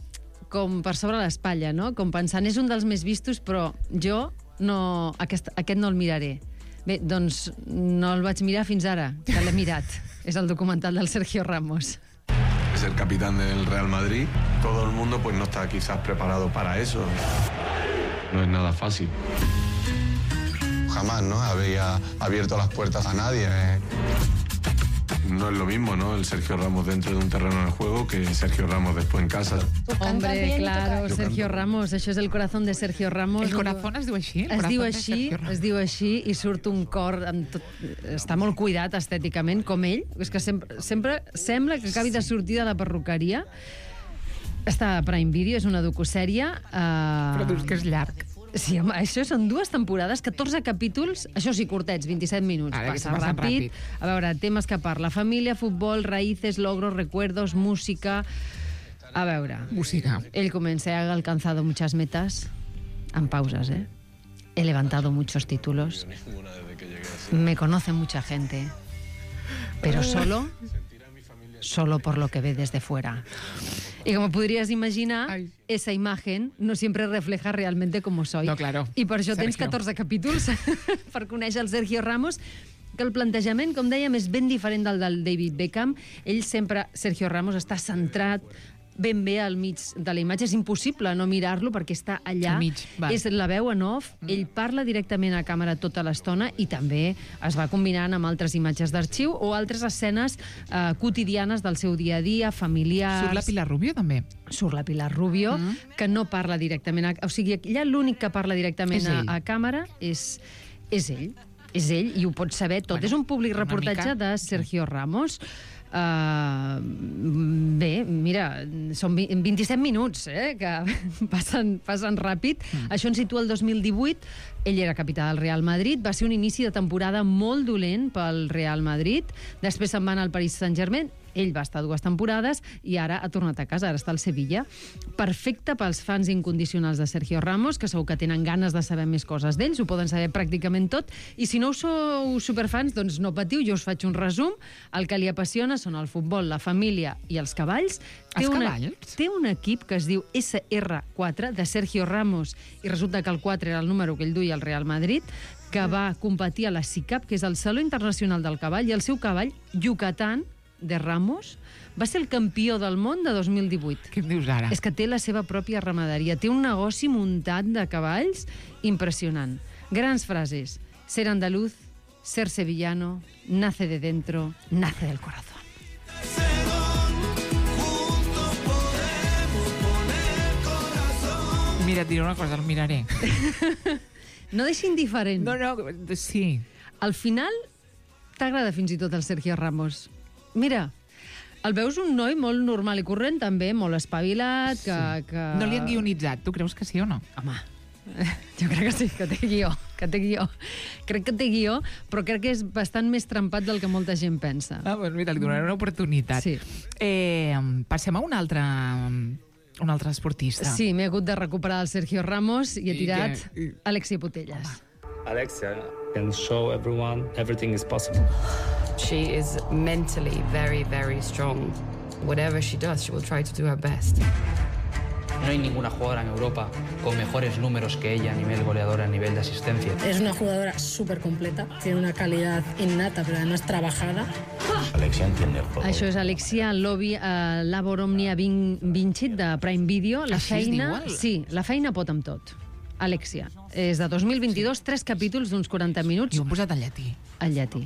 com per sobre l'espatlla, no? Com pensant, és un dels més vistos, però jo no, aquest, aquest no el miraré. Bé, doncs no el vaig mirar fins ara, que l'he mirat. És el documental del Sergio Ramos. Es el capitán del Real Madrid. Todo el mundo pues no está quizás preparado para eso. No es nada fácil. Jamás, ¿no? Había abierto las puertas a nadie. ¿eh? No es lo mismo, ¿no? El Sergio Ramos dentro de un terreno de juego que Sergio Ramos después en casa. Hombre, claro, Sergio Ramos, això és el corazón de Sergio Ramos. El corazón es diu així? Es diu així, es diu així i surt un cor amb tot, està molt cuidat estèticament, com ell. És que sempre, sempre sembla que acabi de sortir de la perruqueria. Està a Prime Video, és una docusèrie. Uh... Però dius que és llarg. Sí, home, això són dues temporades, catorze capítols, això sí, curtets, vint-i-set minuts. Ara, passa ràpid. ràpid. A veure, temes que parla. Família, futbol, raíces, logros, recuerdos, música... A veure... Música. Él comença, ha alcanzado muchas metas, en pausas, ¿eh? He levantado muchos títulos. Me conoce mucha gente. Pero solo... solo por lo que ve desde fuera. Y como podrías imaginar, Ay. esa imagen no siempre refleja realmente cómo soy. No, claro. I per això Sergio. tens catorze capítols per conèixer el Sergio Ramos, que el plantejament, com dèiem, és ben diferent del del David Beckham. Ell sempre, Sergio Ramos, està centrat ben bé al mig de la imatge. És impossible no mirar-lo perquè està allà. Al mig, va. És la veu en off. Mm. Ell parla directament a càmera tota l'estona i també es va combinant amb altres imatges d'arxiu o altres escenes eh, quotidianes del seu dia a dia, familiars... Surt la Pilar Rubio, també. Surt la Pilar Rubio, mm. que no parla directament... A... O sigui, allà l'únic que parla directament a, a càmera és, és ell. És ell, i ho pots saber tot. Bueno, és un públic reportatge mica... de Sergio Ramos. Uh, bé, mira, són vint-i-set minuts, eh, que passen, passen ràpid. Mm. Això ens situa el dos mil divuit. Ell era capità del Real Madrid. Va ser un inici de temporada molt dolent pel Real Madrid. Després se'n va anar al Paris Saint-Germain. Ell va estar dues temporades i ara ha tornat a casa, ara està al Sevilla. Perfecte pels fans incondicionals de Sergio Ramos, que segur que tenen ganes de saber més coses d'ells, ho poden saber pràcticament tot, i si no sou superfans, doncs no patiu, jo us faig un resum. El que li apassiona són el futbol, la família i els cavalls. Té Els una, cavalls? Té un equip que es diu S R quatre, de Sergio Ramos, i resulta que el quatre era el número que ell duia al Real Madrid, que va competir a la S I C A P, que és el Saló Internacional del Cavall, i el seu cavall, Yucatán, de Ramos, va ser el campió del món de dos mil divuit. Què em dius ara? És que té la seva pròpia ramaderia. Té un negoci muntat de cavalls impressionant. Grans frases. Ser andaluz, ser sevillano, nace de dentro, nace del corazón. Mira, et diré una cosa, el miraré. No deixi indiferent. No, no, sí. Al final, t'agrada fins i tot el Sergio Ramos. Mira, el veus un noi molt normal i corrent, també, molt espavilat, que... Sí. que... No li han guionitzat, tu creus que sí o no? Home, jo crec que sí, que té guió, que té guió. Crec que té guió, però crec que és bastant més trempat del que molta gent pensa. Ah, doncs mira, li donaré una oportunitat. Sí. Eh, passem a un altre, un altre esportista. Sí, m'he hagut de recuperar el Sergio Ramos i he I tirat que- Alexia Putellas. Alexia can show everyone everything is possible. She is mentally very, very strong. Whatever she does, she will try to do her best. No hay ninguna jugadora en Europa con mejores números que ella a nivel goleador, a nivel de asistencia. Es una jugadora súper completa, tiene una calidad innata, pero además trabajada. Alexia entiende el juego. Això és Alexia Lobi, uh, Labor Omnia Vin Vincit, de Prime Video. La Així es feina, diu, el- sí, la feina pot amb tot. Alexia. És de dos mil vint-i-dos, tres capítols d'uns quaranta minuts. I ho han posat en llatí. En llatí.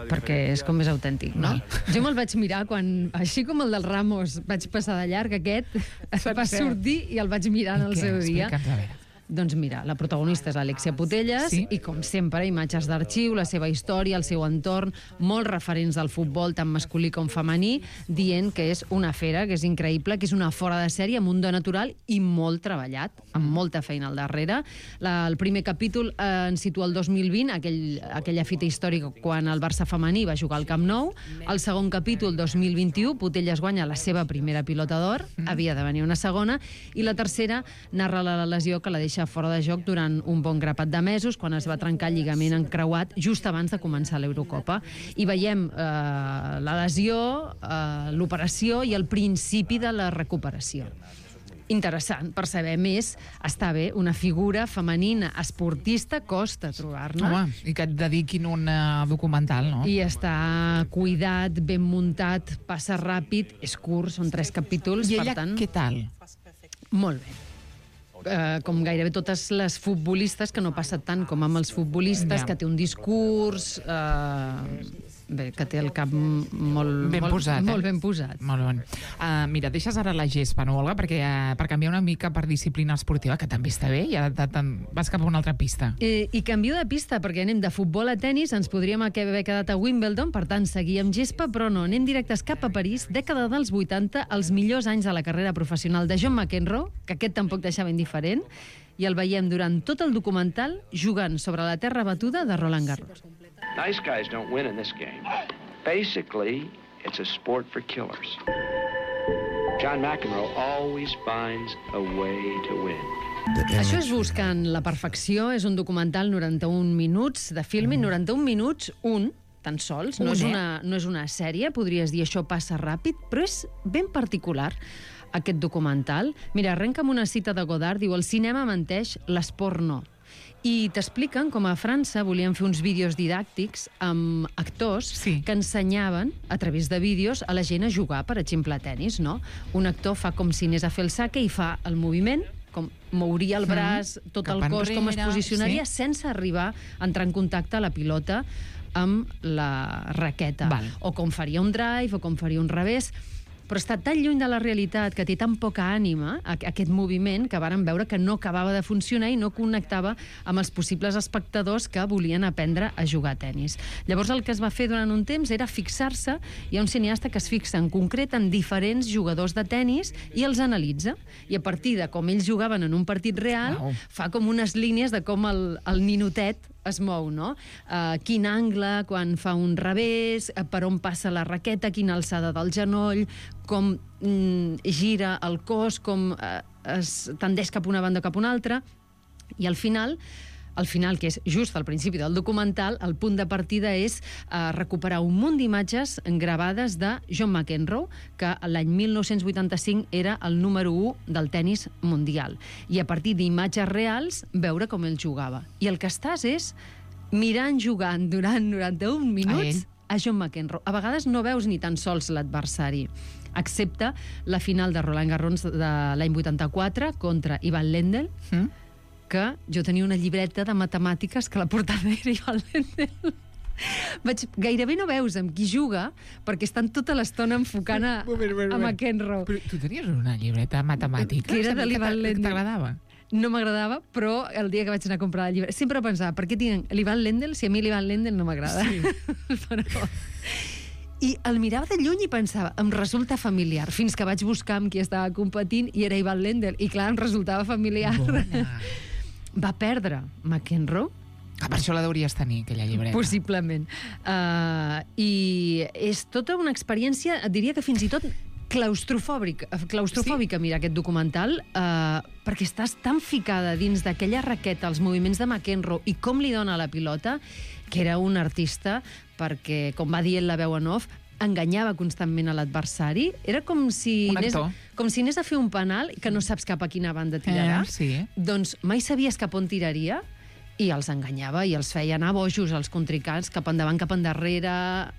Perquè és com més autèntic, no? Jo me'l vaig mirar quan, així com el del Ramos, vaig passar de llarg, aquest va sortir i el vaig mirar en el seu dia. Explica'ns, a veure. Doncs mira, la protagonista és Alexia Putellas, Sí. i com sempre, imatges d'arxiu, la seva història, el seu entorn, molts referents del futbol, tant masculí com femení, dient que és una fera, que és increïble, que és una fora de sèrie amb un do natural i molt treballat, amb molta feina al darrere. La, el primer capítol eh, ens situa el dos mil vint, aquell, aquella fita històrica quan el Barça femení va jugar al Camp Nou. El segon capítol, dos mil vint-i-u, Putellas guanya la seva primera pilota d'or, mm. havia de venir una segona, i la tercera narra la lesió que la deixa fora de joc durant un bon grapat de mesos, quan es va trencar el lligament encreuat just abans de començar l'Eurocopa. I veiem eh, la lesió, eh, l'operació i el principi de la recuperació. interessant per saber més. Està bé, una figura femenina esportista costa trobar-ne. Home, i que et dediquin un uh, documental, no? I està cuidat, ben muntat, passa ràpid, és curt, són tres capítols, I per ella, tant... què tal? Molt bé. Uh, com gairebé totes les futbolistes, que no passa tant com amb els futbolistes, Ja. que té un discurs... Uh, bé, que té el cap molt Ben molt, posat, eh? molt ben posat. Molt bon. Uh, mira, deixes ara la gespa, no, Olga? Perquè, uh, per canviar una mica per disciplina esportiva, que també està bé, i ara te, te, vas cap a una altra pista. Eh, I canvio de pista, perquè anem de futbol a tennis, ens podríem haver quedat a Wimbledon, per tant, seguir amb gespa, però no, anem directes cap a París, dècada dels vuitanta, els millors anys de la carrera professional de John McEnroe, que aquest tampoc deixava indiferent, i el veiem durant tot el documental jugant sobre la terra batuda de Roland Garros. Nice guys don't win in this game. Basically, it's a sport for killers. John McEnroe always finds a way to win. Això és Buscant la perfecció, és un documental noranta-un minuts de filming, noranta-un minuts, un, tan sols, no, Un, és eh? una, no és una sèrie, podries dir això passa ràpid, però és ben particular, aquest documental. Mira, arrenca amb una cita de Godard, diu, el cinema menteix, l'esport no. I t'expliquen com a França volien fer uns vídeos didàctics amb actors sí. que ensenyaven, a través de vídeos, a la gent a jugar, per exemple, a tennis, no? Un actor fa com si anés a fer el saque i fa el moviment, com mouria el braç, mm. tot Cap el cos, enrere, com es posicionaria, sí. sense arribar a entrar en contacte a la pilota amb la raqueta. Val. O com faria un drive, o com faria un revés. Però està tan lluny de la realitat, que té tan poca ànima, aquest moviment, que varen veure que no acabava de funcionar i no connectava amb els possibles espectadors que volien aprendre a jugar a tennis. Llavors el que es va fer durant un temps era fixar-se, hi ha un cineasta que es fixa en concret en diferents jugadors de tennis i els analitza. I a partir de com ells jugaven en un partit real, wow. fa com unes línies de com el, el ninotet es mou, no? Uh, quin angle, quan fa un revés, uh, per on passa la raqueta, quina alçada del genoll, com mm, gira el cos, com uh, es tendeix cap a una banda o cap a una altra, i al final, al final, que és just al principi del documental, el punt de partida és uh, recuperar un munt d'imatges gravades de John McEnroe, que l'any mil nou-cents vuitanta-cinc era el número u del tennis mundial. I a partir d'imatges reals, veure com ell jugava. I el que estàs és mirant jugant durant noranta-un minuts a, a John McEnroe. A vegades no veus ni tan sols l'adversari, excepte la final de Roland Garros de l'any vuitanta-quatre contra Ivan Lendl, mm? que jo tenia una llibreta de matemàtiques que la portada era Ivan Lendl. Vaig, gairebé no veus amb qui juga, perquè estan tota l'estona enfocant a, a McEnroe. Però tu tenies una llibreta de matemàtiques? Que era de l'Ivan Lendl. T'agradava? No m'agradava, però el dia que vaig anar a comprar el llibre... Sempre pensava, per què tinc l'Ivan Lendl si a mi l'Ivan Lendl no m'agrada? Sí. Però... I el mirava de lluny i pensava, em resulta familiar, fins que vaig buscar amb qui estava competint i era Ivan Lendl, i clar, em resultava familiar. Bona. Va perdre McEnroe. Ah, per això la deuries tenir, aquella llibreta. Possiblement. Uh, I és tota una experiència, et diria que fins i tot claustrofòbica, claustrofòbica sí? Mira, aquest documental, uh, perquè estàs tan ficada dins d'aquella raqueta, els moviments de McEnroe i com li dona la pilota, que era un artista, perquè, com va dir ell la veu en off, enganyava constantment a l'adversari. Era com si, anés, com si anés a fer un penal que no saps cap a quina banda tirarà. Eh, sí. Doncs mai sabies cap on tiraria i els enganyava i els feia anar bojos als contrincants, cap endavant, cap endarrere.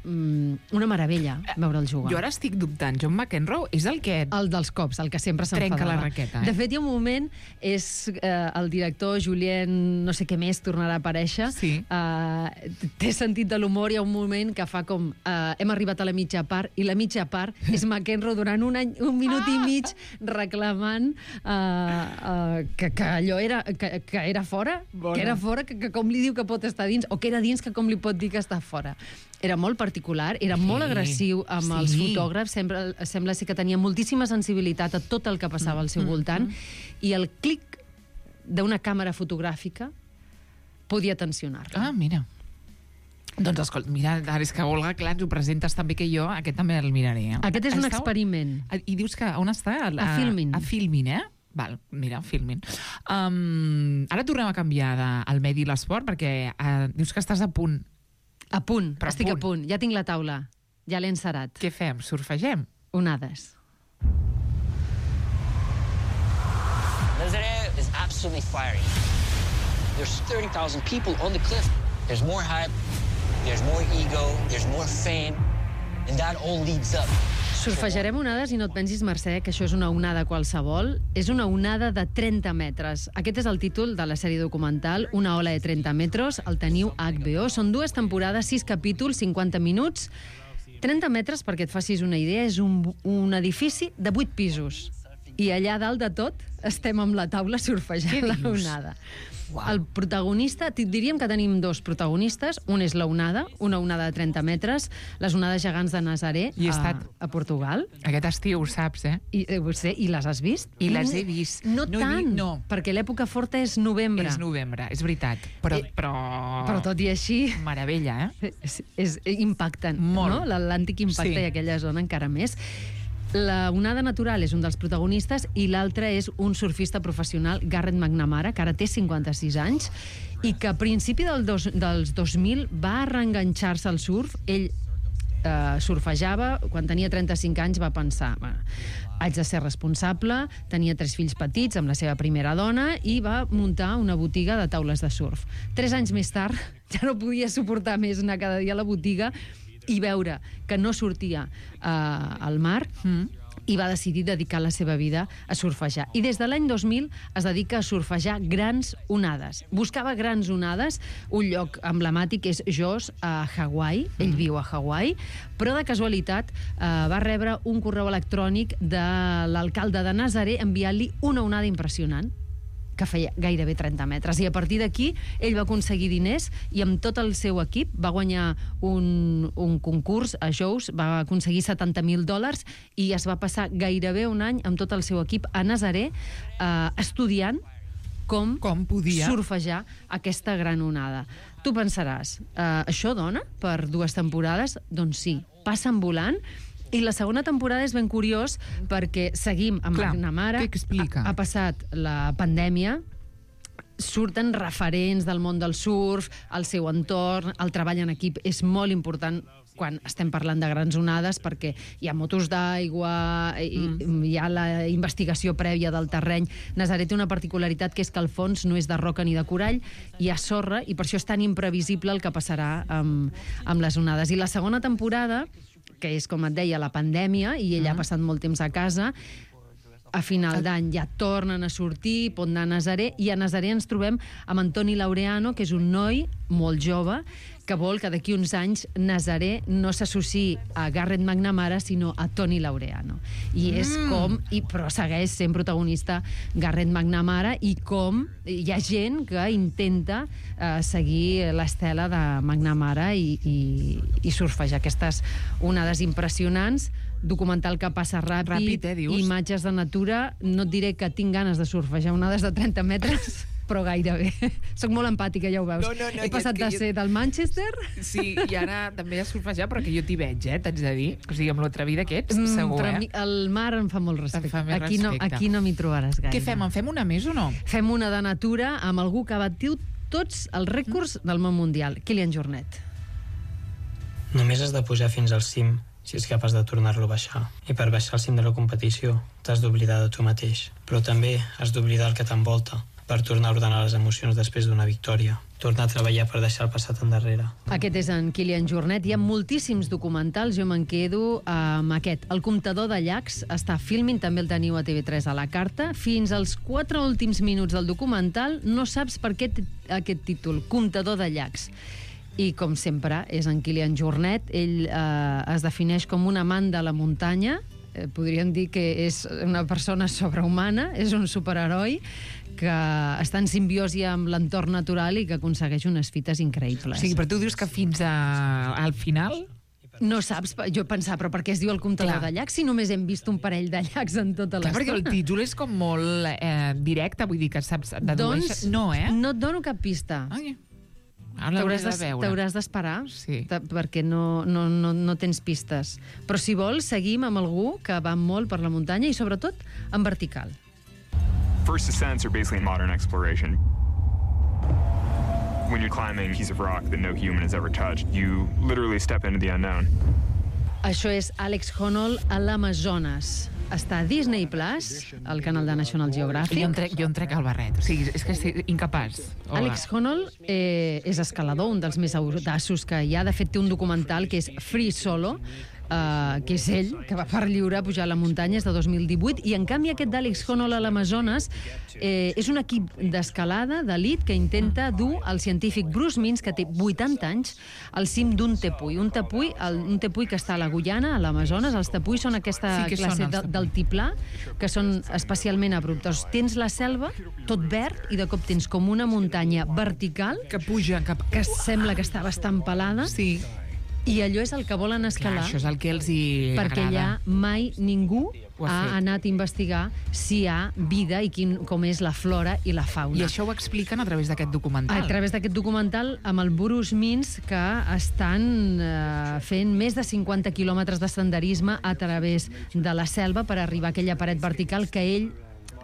Mm, una meravella veure'l jugar. Jo ara estic dubtant. John McEnroe és el que... El dels cops, el que sempre s'enfadava. Trenca la raqueta. Eh? De fet, hi ha un moment, és eh, el director Julien, no sé què més, tornarà a aparèixer. Sí. Eh, té sentit de l'humor, hi ha un moment que fa com... Eh, hem arribat a la mitja part, i la mitja part és McEnroe durant un, any, un minut ah! i mig reclamant eh, eh, que, que allò era, que, que era fora, Bona. que era fora fora, que, que com li diu que pot estar dins, o que era dins, que com li pot dir que està fora. Era molt particular, era sí, molt agressiu amb sí. els fotògrafs, sempre, sembla ser que tenia moltíssima sensibilitat a tot el que passava al seu mm, voltant, mm. i el clic d'una càmera fotogràfica podia tensionar-la. Ah, mira. Doncs, escolta, mira, ara és que, Olga, clar, ens ho presentes també que jo, aquest també el miraré. Eh? Aquest és un Estau... experiment. I dius que on està? A, a Filmin. A Filmin, eh? Val, mira, Filmin. Um, ara tornem a canviar de, el medi i l'esport, perquè uh, dius que estàs a punt. A punt, Però estic a punt. a punt. Ja tinc la taula, ja l'he encerat. Què fem? Surfegem? Onades. constantly firing. There's thirty thousand people on the cliff. There's more hype, there's more ego, there's more fame, and that all leads up. Surfejarem onades i no et pensis, Mercè, que això és una onada qualsevol. És una onada de trenta metres. Aquest és el títol de la sèrie documental, Una ola de trenta metros. El teniu a H B O. Són dues temporades, sis capítols, cinquanta minuts. trenta metres, perquè et facis una idea, és un, un edifici de vuit pisos. I allà dalt de tot estem amb la taula surfejant la onada. Wow. El protagonista, diríem que tenim dos protagonistes. Un és la onada, una onada de trenta metres, les onades gegants de Nazaré I he estat a, a Portugal. Aquest estiu, ho saps, eh? I, eh, ho sé, i les has vist? I les he vist. No, No he tant, vi- no. perquè l'època forta és novembre. És novembre, és veritat. Però... Eh, però... Però tot i així... Meravella, eh? És, és impactant, Molt. no? L'Atlàntic impacta Sí. i aquella zona encara més. La onada natural és un dels protagonistes i l'altre és un surfista professional, Garrett McNamara, que ara té cinquanta-sis anys, i que a principi del dos, dels dos mil va reenganxar-se al surf. Ell eh, surfejava, quan tenia trenta-cinc anys va pensar, bueno, haig de ser responsable, tenia tres fills petits amb la seva primera dona i va muntar una botiga de taules de surf. Tres anys més tard ja no podia suportar més anar cada dia a la botiga i veure que no sortia eh, al mar, mm. i va decidir dedicar la seva vida a surfejar. I des de l'any dos mil es dedica a surfejar grans onades. Buscava grans onades, un lloc emblemàtic és Jaws, a Hawaii, ell mm. viu a Hawaii, però de casualitat eh, va rebre un correu electrònic de l'alcalde de Nazaré enviant-li una onada impressionant, que feia gairebé trenta metres. I a partir d'aquí, ell va aconseguir diners i amb tot el seu equip va guanyar un, un concurs a Jaws, va aconseguir setanta mil dòlars i es va passar gairebé un any amb tot el seu equip a Nazaré eh, estudiant com, com podia surfejar aquesta gran onada. Tu pensaràs, eh, això dona per dues temporades? Doncs sí, passen volant. I la segona temporada és ben curiós perquè seguim amb Clar, McNamara. què explica? Ha, ha passat la pandèmia, surten referents del món del surf, el seu entorn, el treball en equip és molt important quan estem parlant de grans onades perquè hi ha motos d'aigua, mm. hi ha la investigació prèvia del terreny. Nazaré té una particularitat que és que el fons no és de roca ni de corall, hi ha sorra i per això és tan imprevisible el que passarà amb, amb les onades. I la segona temporada, que és, com et deia, la pandèmia, i ella mm. ha passat molt temps a casa, a final d'any ja tornen a sortir, pot anar a Nazaré, i a Nazaré ens trobem amb Antoni Laureano, que és un noi molt jove, que vol que d'aquí uns anys Nazaré no s'associï a Garrett McNamara, sinó a Tony Laureano. I és mm. com... I, però segueix sent protagonista Garrett McNamara, i com hi ha gent que intenta eh, seguir l'estela de McNamara i, i, i surfejar aquestes onades impressionants. Documental que passa ràpid, Ràpid, eh, dius? Imatges de natura. No et diré que tinc ganes de surfejar onades de trenta metres, però gairebé. Soc molt empàtica, ja ho veus. No, no, no, He passat que de jo- ser del Manchester... Sí, i ara també a surfejar, però que jo t'hi veig, eh, t'haig de dir. O sigui, amb l'atrevida que ets, Mm, segur, però a eh? mi el mar em fa molt respecte. fa més aquí, no, respecte. aquí no m'hi trobaràs gaire. Què fem? En fem una més o no? Fem una de natura amb algú que ha batut tots els rècords del món mundial. Kilian Jornet. Només has de pujar fins al cim si ets capaç de tornar-lo a baixar. I per baixar al cim de la competició t'has d'oblidar de tu mateix. Però també has d'oblidar el que t'envolta per tornar a ordenar les emocions després d'una victòria. Tornar a treballar per deixar el passat endarrere. Aquest és en Kilian Jornet. Hi ha moltíssims documentals, jo me'n quedo amb aquest. El comptador de llacs està a Filmin, també el teniu a T V tres a la carta. Fins als quatre últims minuts del documental no saps per què té aquest títol, comptador de llacs. I, com sempre, és en Kilian Jornet. Ell eh, es defineix com un amant de la muntanya. Eh, podríem dir que és una persona sobrehumana, és un superheroi que està en simbiosi amb l'entorn natural i que aconsegueix unes fites increïbles. O sigui, però tu dius que fins a, al final... No saps, jo pensava, però per què es diu el comptador Clar. de llacs si només hem vist un parell de llacs en tota Clar, l'estona? perquè el títol és com molt eh, directe, vull dir que saps... Doncs no, eh? no et dono cap pista. Ai. Ara l'hauré T'hauràs de d'es- veure. T'hauràs d'esperar, Sí. ta- perquè no, no, no, no tens pistes. Però si vols, seguim amb algú que va molt per la muntanya i sobretot en vertical. First ascents are basically modern exploration. When you're climbing a piece of rock that no human has ever touched, you literally step into the unknown. Això és Alex Honnold a l'Amazones. està a Disney Plus, el canal de National Geographic. Jo em trec, jo em trec el barret. O sigui, és que estic incapaç. Hola. Alex Honnold eh, és escalador, un dels més audaços que hi ha. De fet, té un documental que és Free Solo, Uh, que és ell, que va per lliure a pujar a la muntanya, és de dos mil divuit, i en canvi aquest d'Alex Honnold a l'Amazones eh, és un equip d'escalada d'elit que intenta dur el científic Bruce Means, que té vuitanta anys, al cim d'un tepuy. Un tepuy, el, un tepuy que està a la Guyana, a l'Amazones. Els tepuis són aquesta Sí, classe són de, d'altiplà, que són especialment abruptes. Tens la selva, tot verd, i de cop tens com una muntanya vertical que puja cap... que sembla que està bastant pelada. Sí. I allò és el que volen escalar. Clar, això és el que els hi perquè agrada. allà mai ningú Ho ha ha fet. anat a investigar si hi ha vida i quin, com és la flora i la fauna. I això ho expliquen a través d'aquest documental. A través d'aquest documental amb el Bruce Means, que estan eh, fent més de cinquanta quilòmetres de senderisme a través de la selva per arribar a aquella paret vertical que ell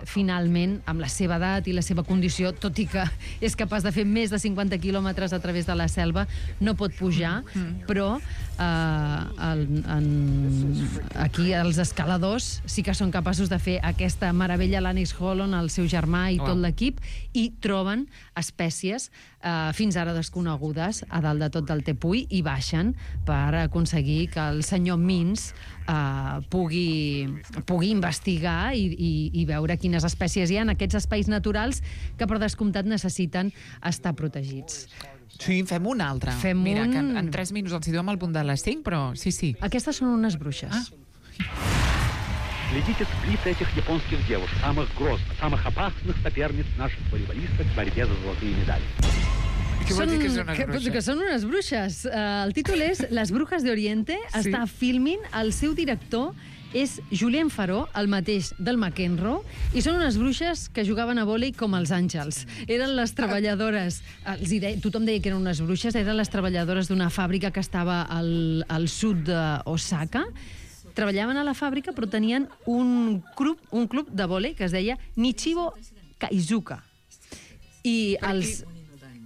finalment, amb la seva edat i la seva condició, tot i que és capaç de fer més de cinquanta quilòmetres a través de la selva, no pot pujar, mm. però eh, el, en, aquí els escaladors sí que són capaços de fer aquesta meravella, l'Alex Honnold, el seu germà i Oh. tot l'equip, i troben espècies eh, fins ara desconegudes a dalt de tot del tepuy i baixen per aconseguir que el senyor Means eh, pugui, pugui investigar i, i, i veure quines espècies hi ha en aquests espais naturals que per descomptat necessiten estar protegits. Sí, fem un altre. Fem Mira, un... que en, en tres minuts els hi donem al punt de les cinc, però sí, sí. Aquestes són unes bruixes. Ah. Следите сплит этих японских девушек, самых грозных, самых опасных соперниц наших волейболисток в борьбе за золотые медали. Què vol dir que són unes que, bruixes? que són unes bruixes. Uh, el títol és Les brujas de Oriente. Sí. Està filming, el seu director és Julien Faró, el mateix del McEnroe, i són unes bruixes que jugaven a vòlei com els àngels. Eren les treballadores, els hi deia, tothom deia que eren unes bruixes, eren les treballadores d'una fàbrica que estava al, al sud d'Osaka. Treballaven a la fàbrica, però tenien un club, un club de vòlei que es deia Nichibo Kaizuka. I els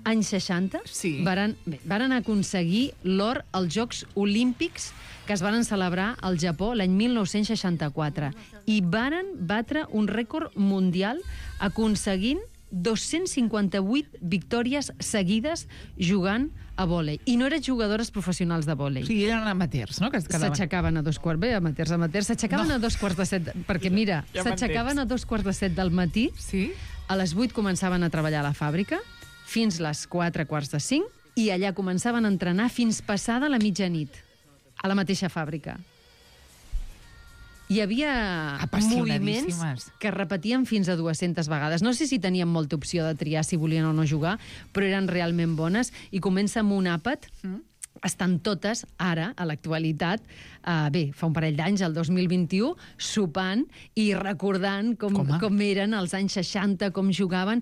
anys seixanta sí. varen, bé, varen aconseguir l'or als Jocs Olímpics que es varen celebrar al Japó l'any mil nou-cents seixanta-quatre i varen batre un rècord mundial aconseguint dos-cents cinquanta-vuit victòries seguides jugant a vòlei. I no eren jugadores professionals de vòlei. Sí, eren amateurs, no? Que es quedaven... S'aixecaven a dos quarts... Bé, amateurs, amateurs. S'aixecaven no. a dos quarts de set... Perquè, mira, ja s'aixecaven a dos quarts de set del matí. Sí? A les vuit començaven a treballar a la fàbrica, fins les quatre quarts de cinc, i allà començaven a entrenar fins passada la mitjanit, a la mateixa fàbrica. Hi havia moviments que repetien fins a dues-centes vegades. No sé si tenien molta opció de triar si volien o no jugar, però eren realment bones. I comença amb un àpat. Mm. Estan totes, ara, a l'actualitat, uh, bé, fa un parell d'anys, el dos mil vint-i-u, sopant i recordant com, com, com eren els anys seixanta, com jugaven.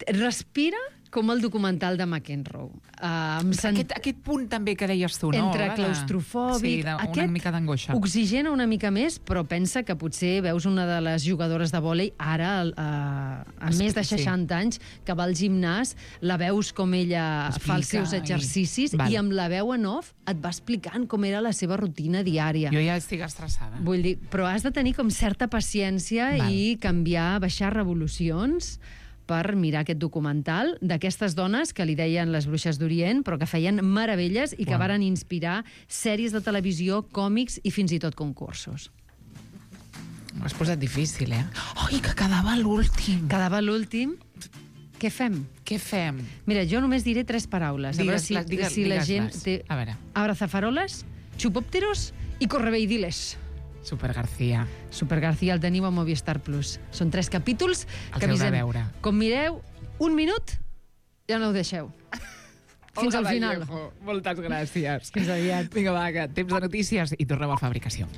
Respira com el documental de McEnroe. Uh, sent... aquest, aquest punt també que deies tu, no? Entre claustrofòbic... Sí, de, una aquest mica d'angoixa. Oxigena una mica més, però pensa que potser veus una de les jugadores de vòlei ara, uh, a sí, més de seixanta sí. anys, que va al gimnàs, la veus com ella explica, fa els seus exercicis i... i amb la veu en off et va explicant com era la seva rutina diària. Jo ja estic estressada. Vull dir, però has de tenir com certa paciència Val. i canviar, baixar revolucions per mirar aquest documental d'aquestes dones que li deien les bruixes d'Orient, però que feien meravelles i que wow. varen inspirar sèries de televisió, còmics i fins i tot concursos. Ho has posat difícil, eh? Ai, que quedava l'últim. Quedava l'últim. Què fem? Què fem? Mira, jo només diré tres paraules. Digues, a veure si, les, digues, si la gent les. té... A veure. Abrazafaroles, xupòpteros i correveidiles. Super García. Super García el teniu a Movistar Plus. Són tres capítols Els que avisem. veure. Com mireu un minut, ja no ho deixeu. Fins Olga al final. Vallejo, moltes gràcies. Fins aviat. Vinga, va, que temps de notícies i tornem a Fabricació.